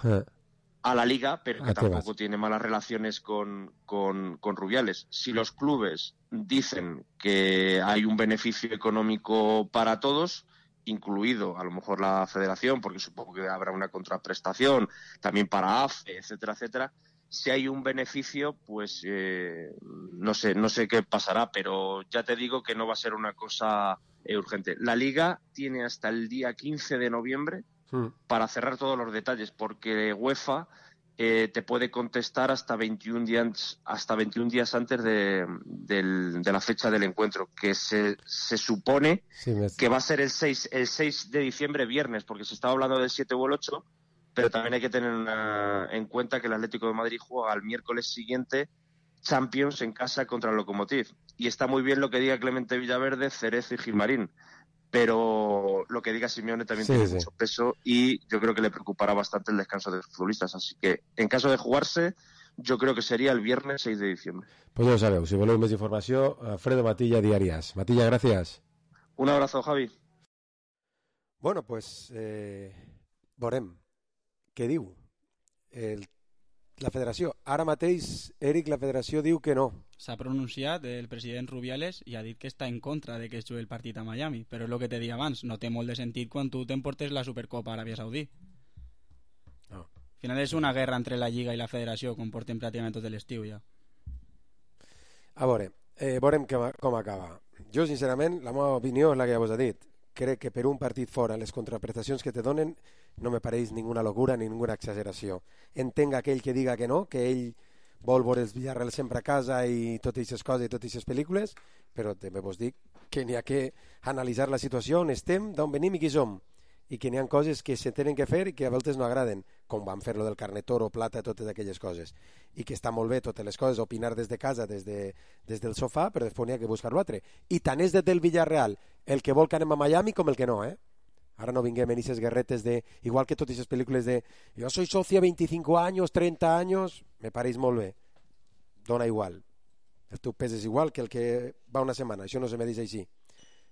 a la Liga, pero que tampoco tiene malas relaciones con, con, con Rubiales. Si los clubes dicen que hay un beneficio económico para todos, incluido a lo mejor la federación, porque supongo que habrá una contraprestación también para A F E, etcétera, etcétera. Si hay un beneficio, pues eh, no sé, no sé qué pasará, pero ya te digo que no va a ser una cosa eh, urgente. La Liga tiene hasta el día quince de noviembre mm. para cerrar todos los detalles, porque UEFA eh, te puede contestar hasta veintiún días, hasta veintiún días antes de, de, de la fecha del encuentro, que se, se supone sí, me... que va a ser el seis, el seis de diciembre, viernes, porque se estaba hablando del siete o el ocho. Pero también hay que tener una, en cuenta que el Atlético de Madrid juega el miércoles siguiente Champions en casa contra el Lokomotiv. Y está muy bien lo que diga Clemente Villaverde, Cerezo y Gilmarín. Pero lo que diga Simeone también sí, tiene sí. mucho peso y yo creo que le preocupará bastante el descanso de los futbolistas. Así que, en caso de jugarse, yo creo que sería el viernes seis de diciembre. Pues ya lo sabeu. Si voleu més informació, Alfredo Matilla, Diarias. Matilla, gracias. Un abrazo, Javi. Bueno, pues eh, veurem. Què diu el, la federació? Ara mateix, Eric, la federació diu que no. S'ha pronunciat el president Rubiales i ha dit que està en contra de que es jugui el partit a Miami, però és el que te deia abans, no té molt de sentit quan tu t'emportes la Supercopa a Aràbia Saudí. No. Al final és una guerra entre la Lliga i la federació, com portem pràcticament tot l'estiu ja. A veure, eh, veurem que, com acaba. Jo, sincerament, la meva opinió és la que ja vos he dit. Crec que per un partit fora les contraprestacions que te donen no me pareix ninguna locura ni ninguna exageració. Entenc aquell que diga que no, que ell vol veure els Villarreal sempre a casa i totes aquestes coses i totes aquestes pel·lícules, però també vos dic que n'hi ha que analitzar la situació on estem, d'on venim i qui som, i que n'hi ha coses que se tenen que fer i que a voltes no agraden, com van fer-lo del carnet oro, plata, totes aquelles coses, i que està molt bé totes les coses, opinar des de casa, des, de, des del sofà, però després n'hi ha que buscar-lo altre. I tant és des del Villarreal el que vol que anem a Miami com el que no, eh? Ara no vinguem en aquestes guerretes de, igual que totes aquestes pel·lícules de jo soy socio veinticinco años, treinta años, me pareix molt bé, dona igual, el teu pes és igual que el que va una setmana, això no se me dice així,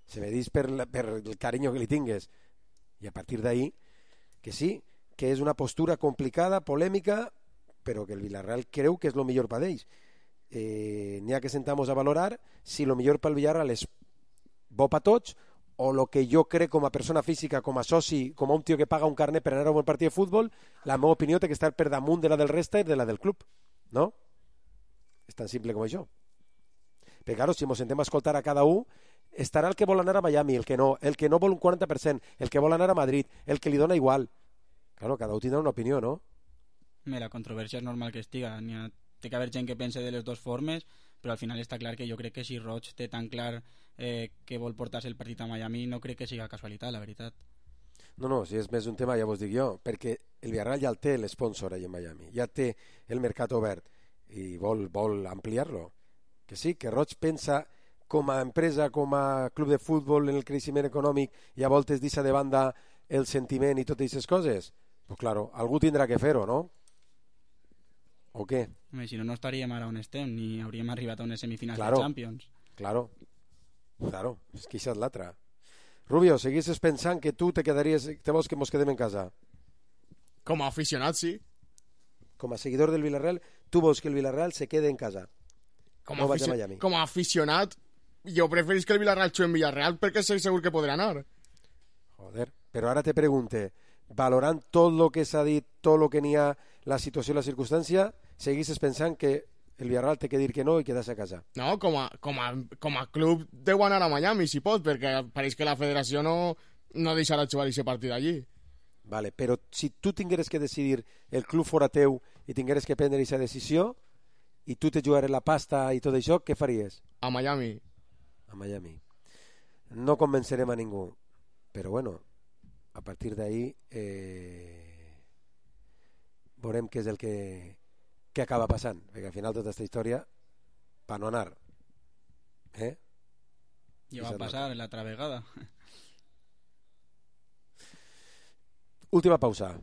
se me dice per, la, per el carinyo que li tingues, i a partir d'ahí que sí, que és una postura complicada, polèmica, però que el Villarreal creu que és el millor per ells. Eh, n'hi ha que sentamos a valorar si el millor pel Villarreal és bo per tots o el que jo crec com a persona física, com a soci, com a un tio que paga un carnet per anar a un partit de futbol, la meva opinió té que estar per damunt de la del resta i de la del club, no? És tan simple com això. Però claro, si ens sentem a escoltar a cada un, estarà el que vol anar a Miami, el que no, el que no vol un quaranta per cent, el que vol anar a Madrid, el que li dona igual. Claro, cada un tindrà una opinió, no? Bé, la controvèrsia és normal que estiga. N'hi ha, té que haver gent que pense de les dues formes, però al final està clar que jo crec que si Roig té tan clar eh, que vol portar-se el partit a Miami, no crec que siga casualitat, la veritat. No, no, si és més un tema ja vos dic jo, perquè el Villarreal ja el té l'esponsor allà en Miami, ja té el mercat obert i vol, vol ampliar-lo. Que sí, que Roig pensa com a empresa, com a club de futbol en el creixement econòmic i a voltes deixa de banda el sentiment i totes aquestes coses. Pues claro, algú tindrà que fer-ho, no? O què? Home, si no, no estaríem ara on estem, ni hauríem arribat a unes semifinals claro, de Champions. Claro, claro, és que això és l'altra. Rubio, seguisses pensant que tu te quedaries, te vols que mos quedem en casa? Com a aficionat, sí. Com a seguidor del Villarreal, tu vols que el Villarreal se quede en casa? Com a, no afici com a aficionat, jo preferís que el Villarreal jugui en Villarreal perquè sé segur que podrà anar. Joder, però ara te pregunte, valorant tot el que s'ha dit, tot el que n'hi ha, la situació i la circumstància, seguisses pensant que el Villarreal té que dir que no i quedar-se a casa? No, com a, com a, com a club deu anar a Miami, si pot, perquè pareix que la federació no, no deixarà jugar aquest partit allí. Vale, però si tu tingueres que decidir el club fora teu i tingueres que prendre aquesta decisió i tu te jugares la pasta i tot això, què faries? A Miami. A Miami. No convencerem a ningú, però bueno, a partir d'ahí eh, veurem què és el que, que acaba passant, perquè al final tota aquesta història per no anar, eh? Ja va passar l'altra vegada. Última pausa.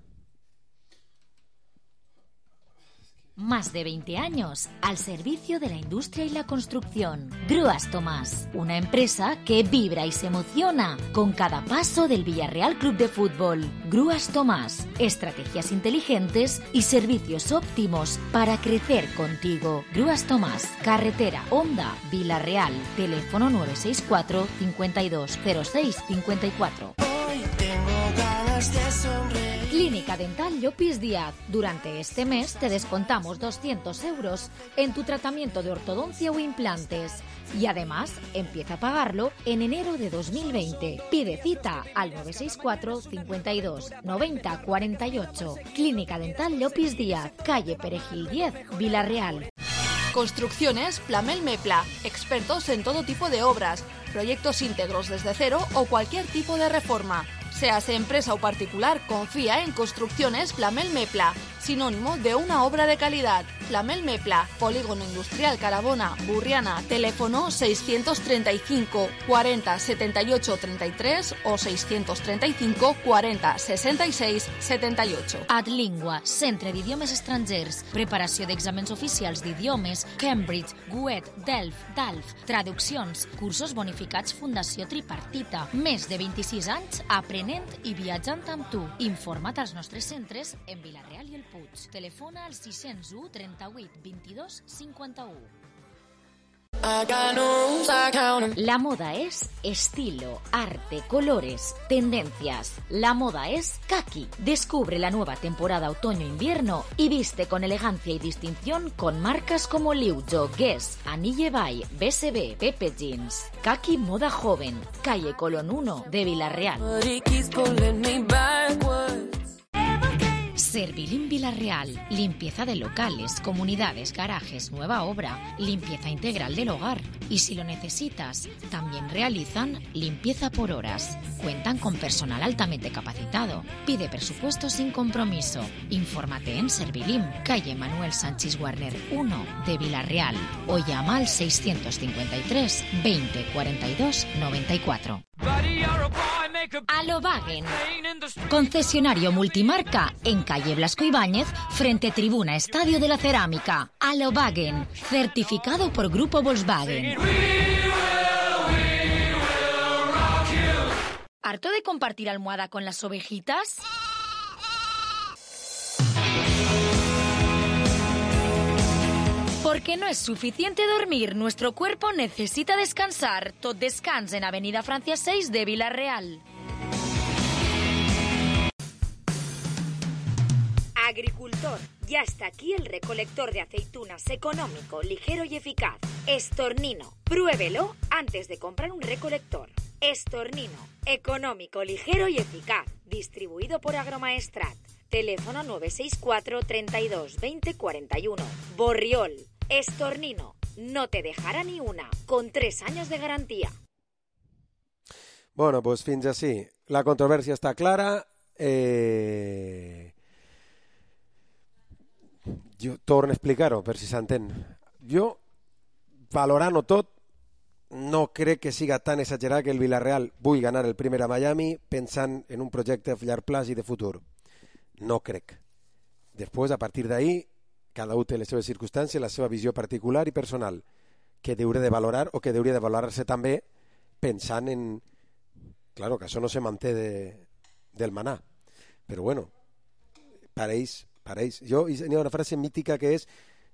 Más de veinte años al servicio de la industria y la construcción. Grúas Tomás, una empresa que vibra y se emociona con cada paso del Villarreal Club de Fútbol. Grúas Tomás, estrategias inteligentes y servicios óptimos para crecer contigo. Grúas Tomás, carretera Honda, Villarreal, teléfono nueve seis cuatro, cincuenta y dos, cero seis, cincuenta y cuatro. Hoy tengo ganas de sonreír. Clínica Dental Llopis Díaz. Durante este mes te descontamos doscientos euros en tu tratamiento de ortodoncia o implantes. Y además, empieza a pagarlo en enero de dos mil veinte. Pide cita al nueve seis cuatro, cincuenta y dos, noventa, cuarenta y ocho. Clínica Dental Llopis Díaz, calle Perejil diez, Villarreal. Construcciones Plamel Mepla, expertos en todo tipo de obras, proyectos íntegros desde cero o cualquier tipo de reforma. Seas empresa o particular, confía en Construcciones Plamel Mepla, sinónimo de una obra de calidad. Plamel Mepla, Polígono Industrial Carabona, Burriana, teléfono seiscientos treinta y cinco, cuarenta, setenta y ocho, treinta y tres o seiscientos treinta y cinco, cuarenta, sesenta y seis, setenta y ocho. Adlingua, Centre d'Idiomes Estrangers, preparació d'exàmens oficials d'idiomes, Cambridge, Goethe, Delft, Dalf, traduccions, cursos bonificats Fundació Tripartita, més de vint-i-sis anys aprenent i viatjant amb tu. Informa't als nostres centres en Vilareal i el Puig. Telefona al sis zero u, trenta-vuit, vint-i-dos, cinquanta-u. La moda es estilo, arte, colores, tendencias. La moda es Kaki. Descubre la nueva temporada otoño-invierno y viste con elegancia y distinción con marcas como Liujo, Guess, Anille Bay, B S B, Pepe Jeans. Kaki Moda Joven, calle Colón uno de Villarreal. Servilim Villarreal, limpieza de locales, comunidades, garajes, nueva obra, limpieza integral del hogar. Y si lo necesitas, también realizan limpieza por horas. Cuentan con personal altamente capacitado. Pide presupuesto sin compromiso. Infórmate en Servilim, calle Manuel Sánchez Warner uno de Villarreal o llama al seiscientos cincuenta y tres, veinte, cuarenta y dos, noventa y cuatro. Alovagen, concesionario multimarca en calle Blasco Ibáñez, frente Tribuna Estadio de la Cerámica. Alovagen, certificado por Grupo Volkswagen. ¿Harto de compartir almohada con las ovejitas? Porque no es suficiente dormir, nuestro cuerpo necesita descansar. Tot descans en Avenida Francia seis de Villarreal. Agricultor, ya está aquí el recolector de aceitunas económico, ligero y eficaz. Estornino, pruébelo antes de comprar un recolector. Estornino, económico, ligero y eficaz. Distribuido por Agromaestrat. Teléfono nueve seis cuatro, treinta y dos, veinte, cuarenta y uno. Borriol, Estornino, no te dejará ni una, con tres años de garantía. Bueno, pues fins així. La controvèrsia està clara. Eh... Jo torno a explicar-ho, per si s'entén. Jo, valorant-ho tot, no crec que siga tan exagerat que el Villarreal vulgui ganar el primer a Miami pensant en un projecte a llarg plaç i de futur. No crec. Després, a partir d'ahí, cada un té les seves circumstàncies, la seva visió particular i personal, que hauria de valorar o que hauria de valorar-se també pensant en... Claro, que això no se manté de, del maná. Però bueno, pareix, pareix. Jo, hi ha una frase mítica que és,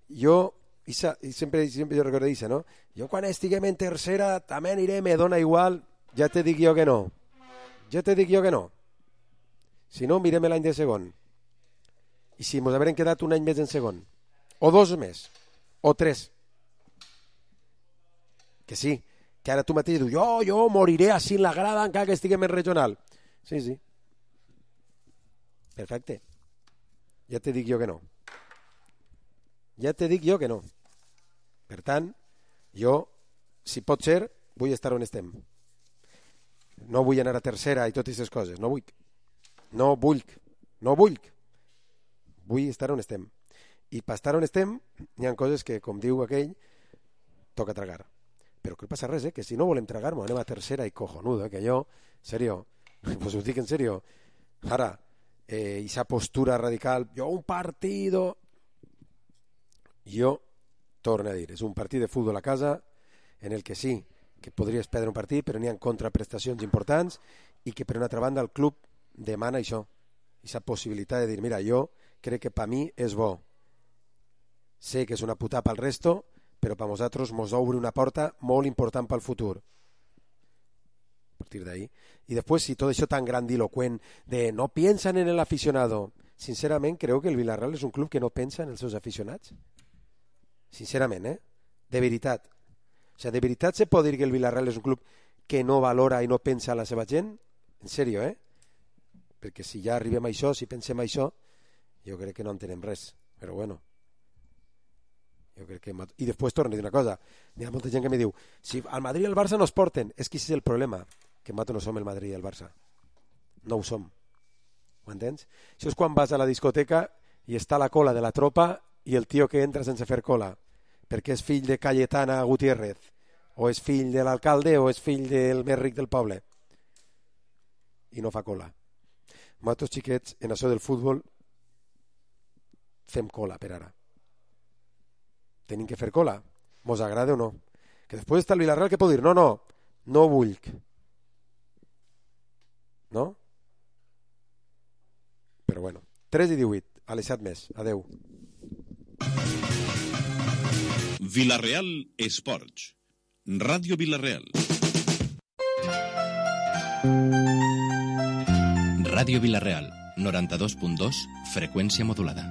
jo, i sempre, sempre jo recordo això, no? Jo quan estiguem en tercera també aniré, me dona igual, ja te dic jo que no. Ja te dic jo que no. Si no, mirem l'any de segon. I si ens haurem quedat un any més en segon, o dos més, o tres. Que sí, que ara tu mateix dius, jo, jo moriré així en la grada encara que estiguem en regional. Sí, sí. Perfecte. Ja te dic jo que no. Ja te dic jo que no. Per tant, jo, si pot ser, vull estar on estem. No vull anar a tercera i totes aquestes coses, no vull. No vull, no vull. Vull estar on estem. I per estar on estem, hi ha coses que, com diu aquell, toca tragar. Però que passa res, eh? Que si no volem tragar-nos, anem a tercera i cojonudo, eh? Que jo, serio, pues ho dic en serio, ara, eh, esa postura radical, jo un partido... Jo torno a dir, és un partit de futbol a casa en el que sí, que podries perdre un partit, però n'hi ha contraprestacions importants i que per una altra banda el club demana això, aquesta possibilitat de dir, mira, jo crec que per mi és bo, sé que és una putada pel resto, però per nosaltres mos obre una porta molt important pel futur. A partir d'ahí. I després, si tot això tan grandiloquent de no piensan en el aficionado, sincerament creu que el Villarreal és un club que no pensa en els seus aficionats? Sincerament, eh? De veritat. O sigui, de veritat se pot dir que el Villarreal és un club que no valora i no pensa en la seva gent? En sèrio, eh? Perquè si ja arribem a això, si pensem a això, jo crec que no entenem res. Però bueno. Jo crec que... I després torno a dir una cosa. Hi ha molta gent que me diu, si al Madrid i al Barça no es porten, és que aquest és el problema, que nosaltres no som el Madrid i el Barça. No ho som. Ho entens? Això és quan vas a la discoteca i està la cola de la tropa i el tio que entra sense fer cola, perquè és fill de Cayetana Gutiérrez, o és fill de l'alcalde, o és fill del més ric del poble. I no fa cola. Nosaltres, xiquets, en això del futbol, fem cola per ara. Tenim que fer cola. Mos agrada o no? Que després està el Villarreal que pot dir, no, no, no vull. No? Però bueno, tres i divuit, a les set més. Adeu. Villarreal Esports. Ràdio Villarreal. Ràdio Villarreal, noranta-dos punt dos, freqüència modulada.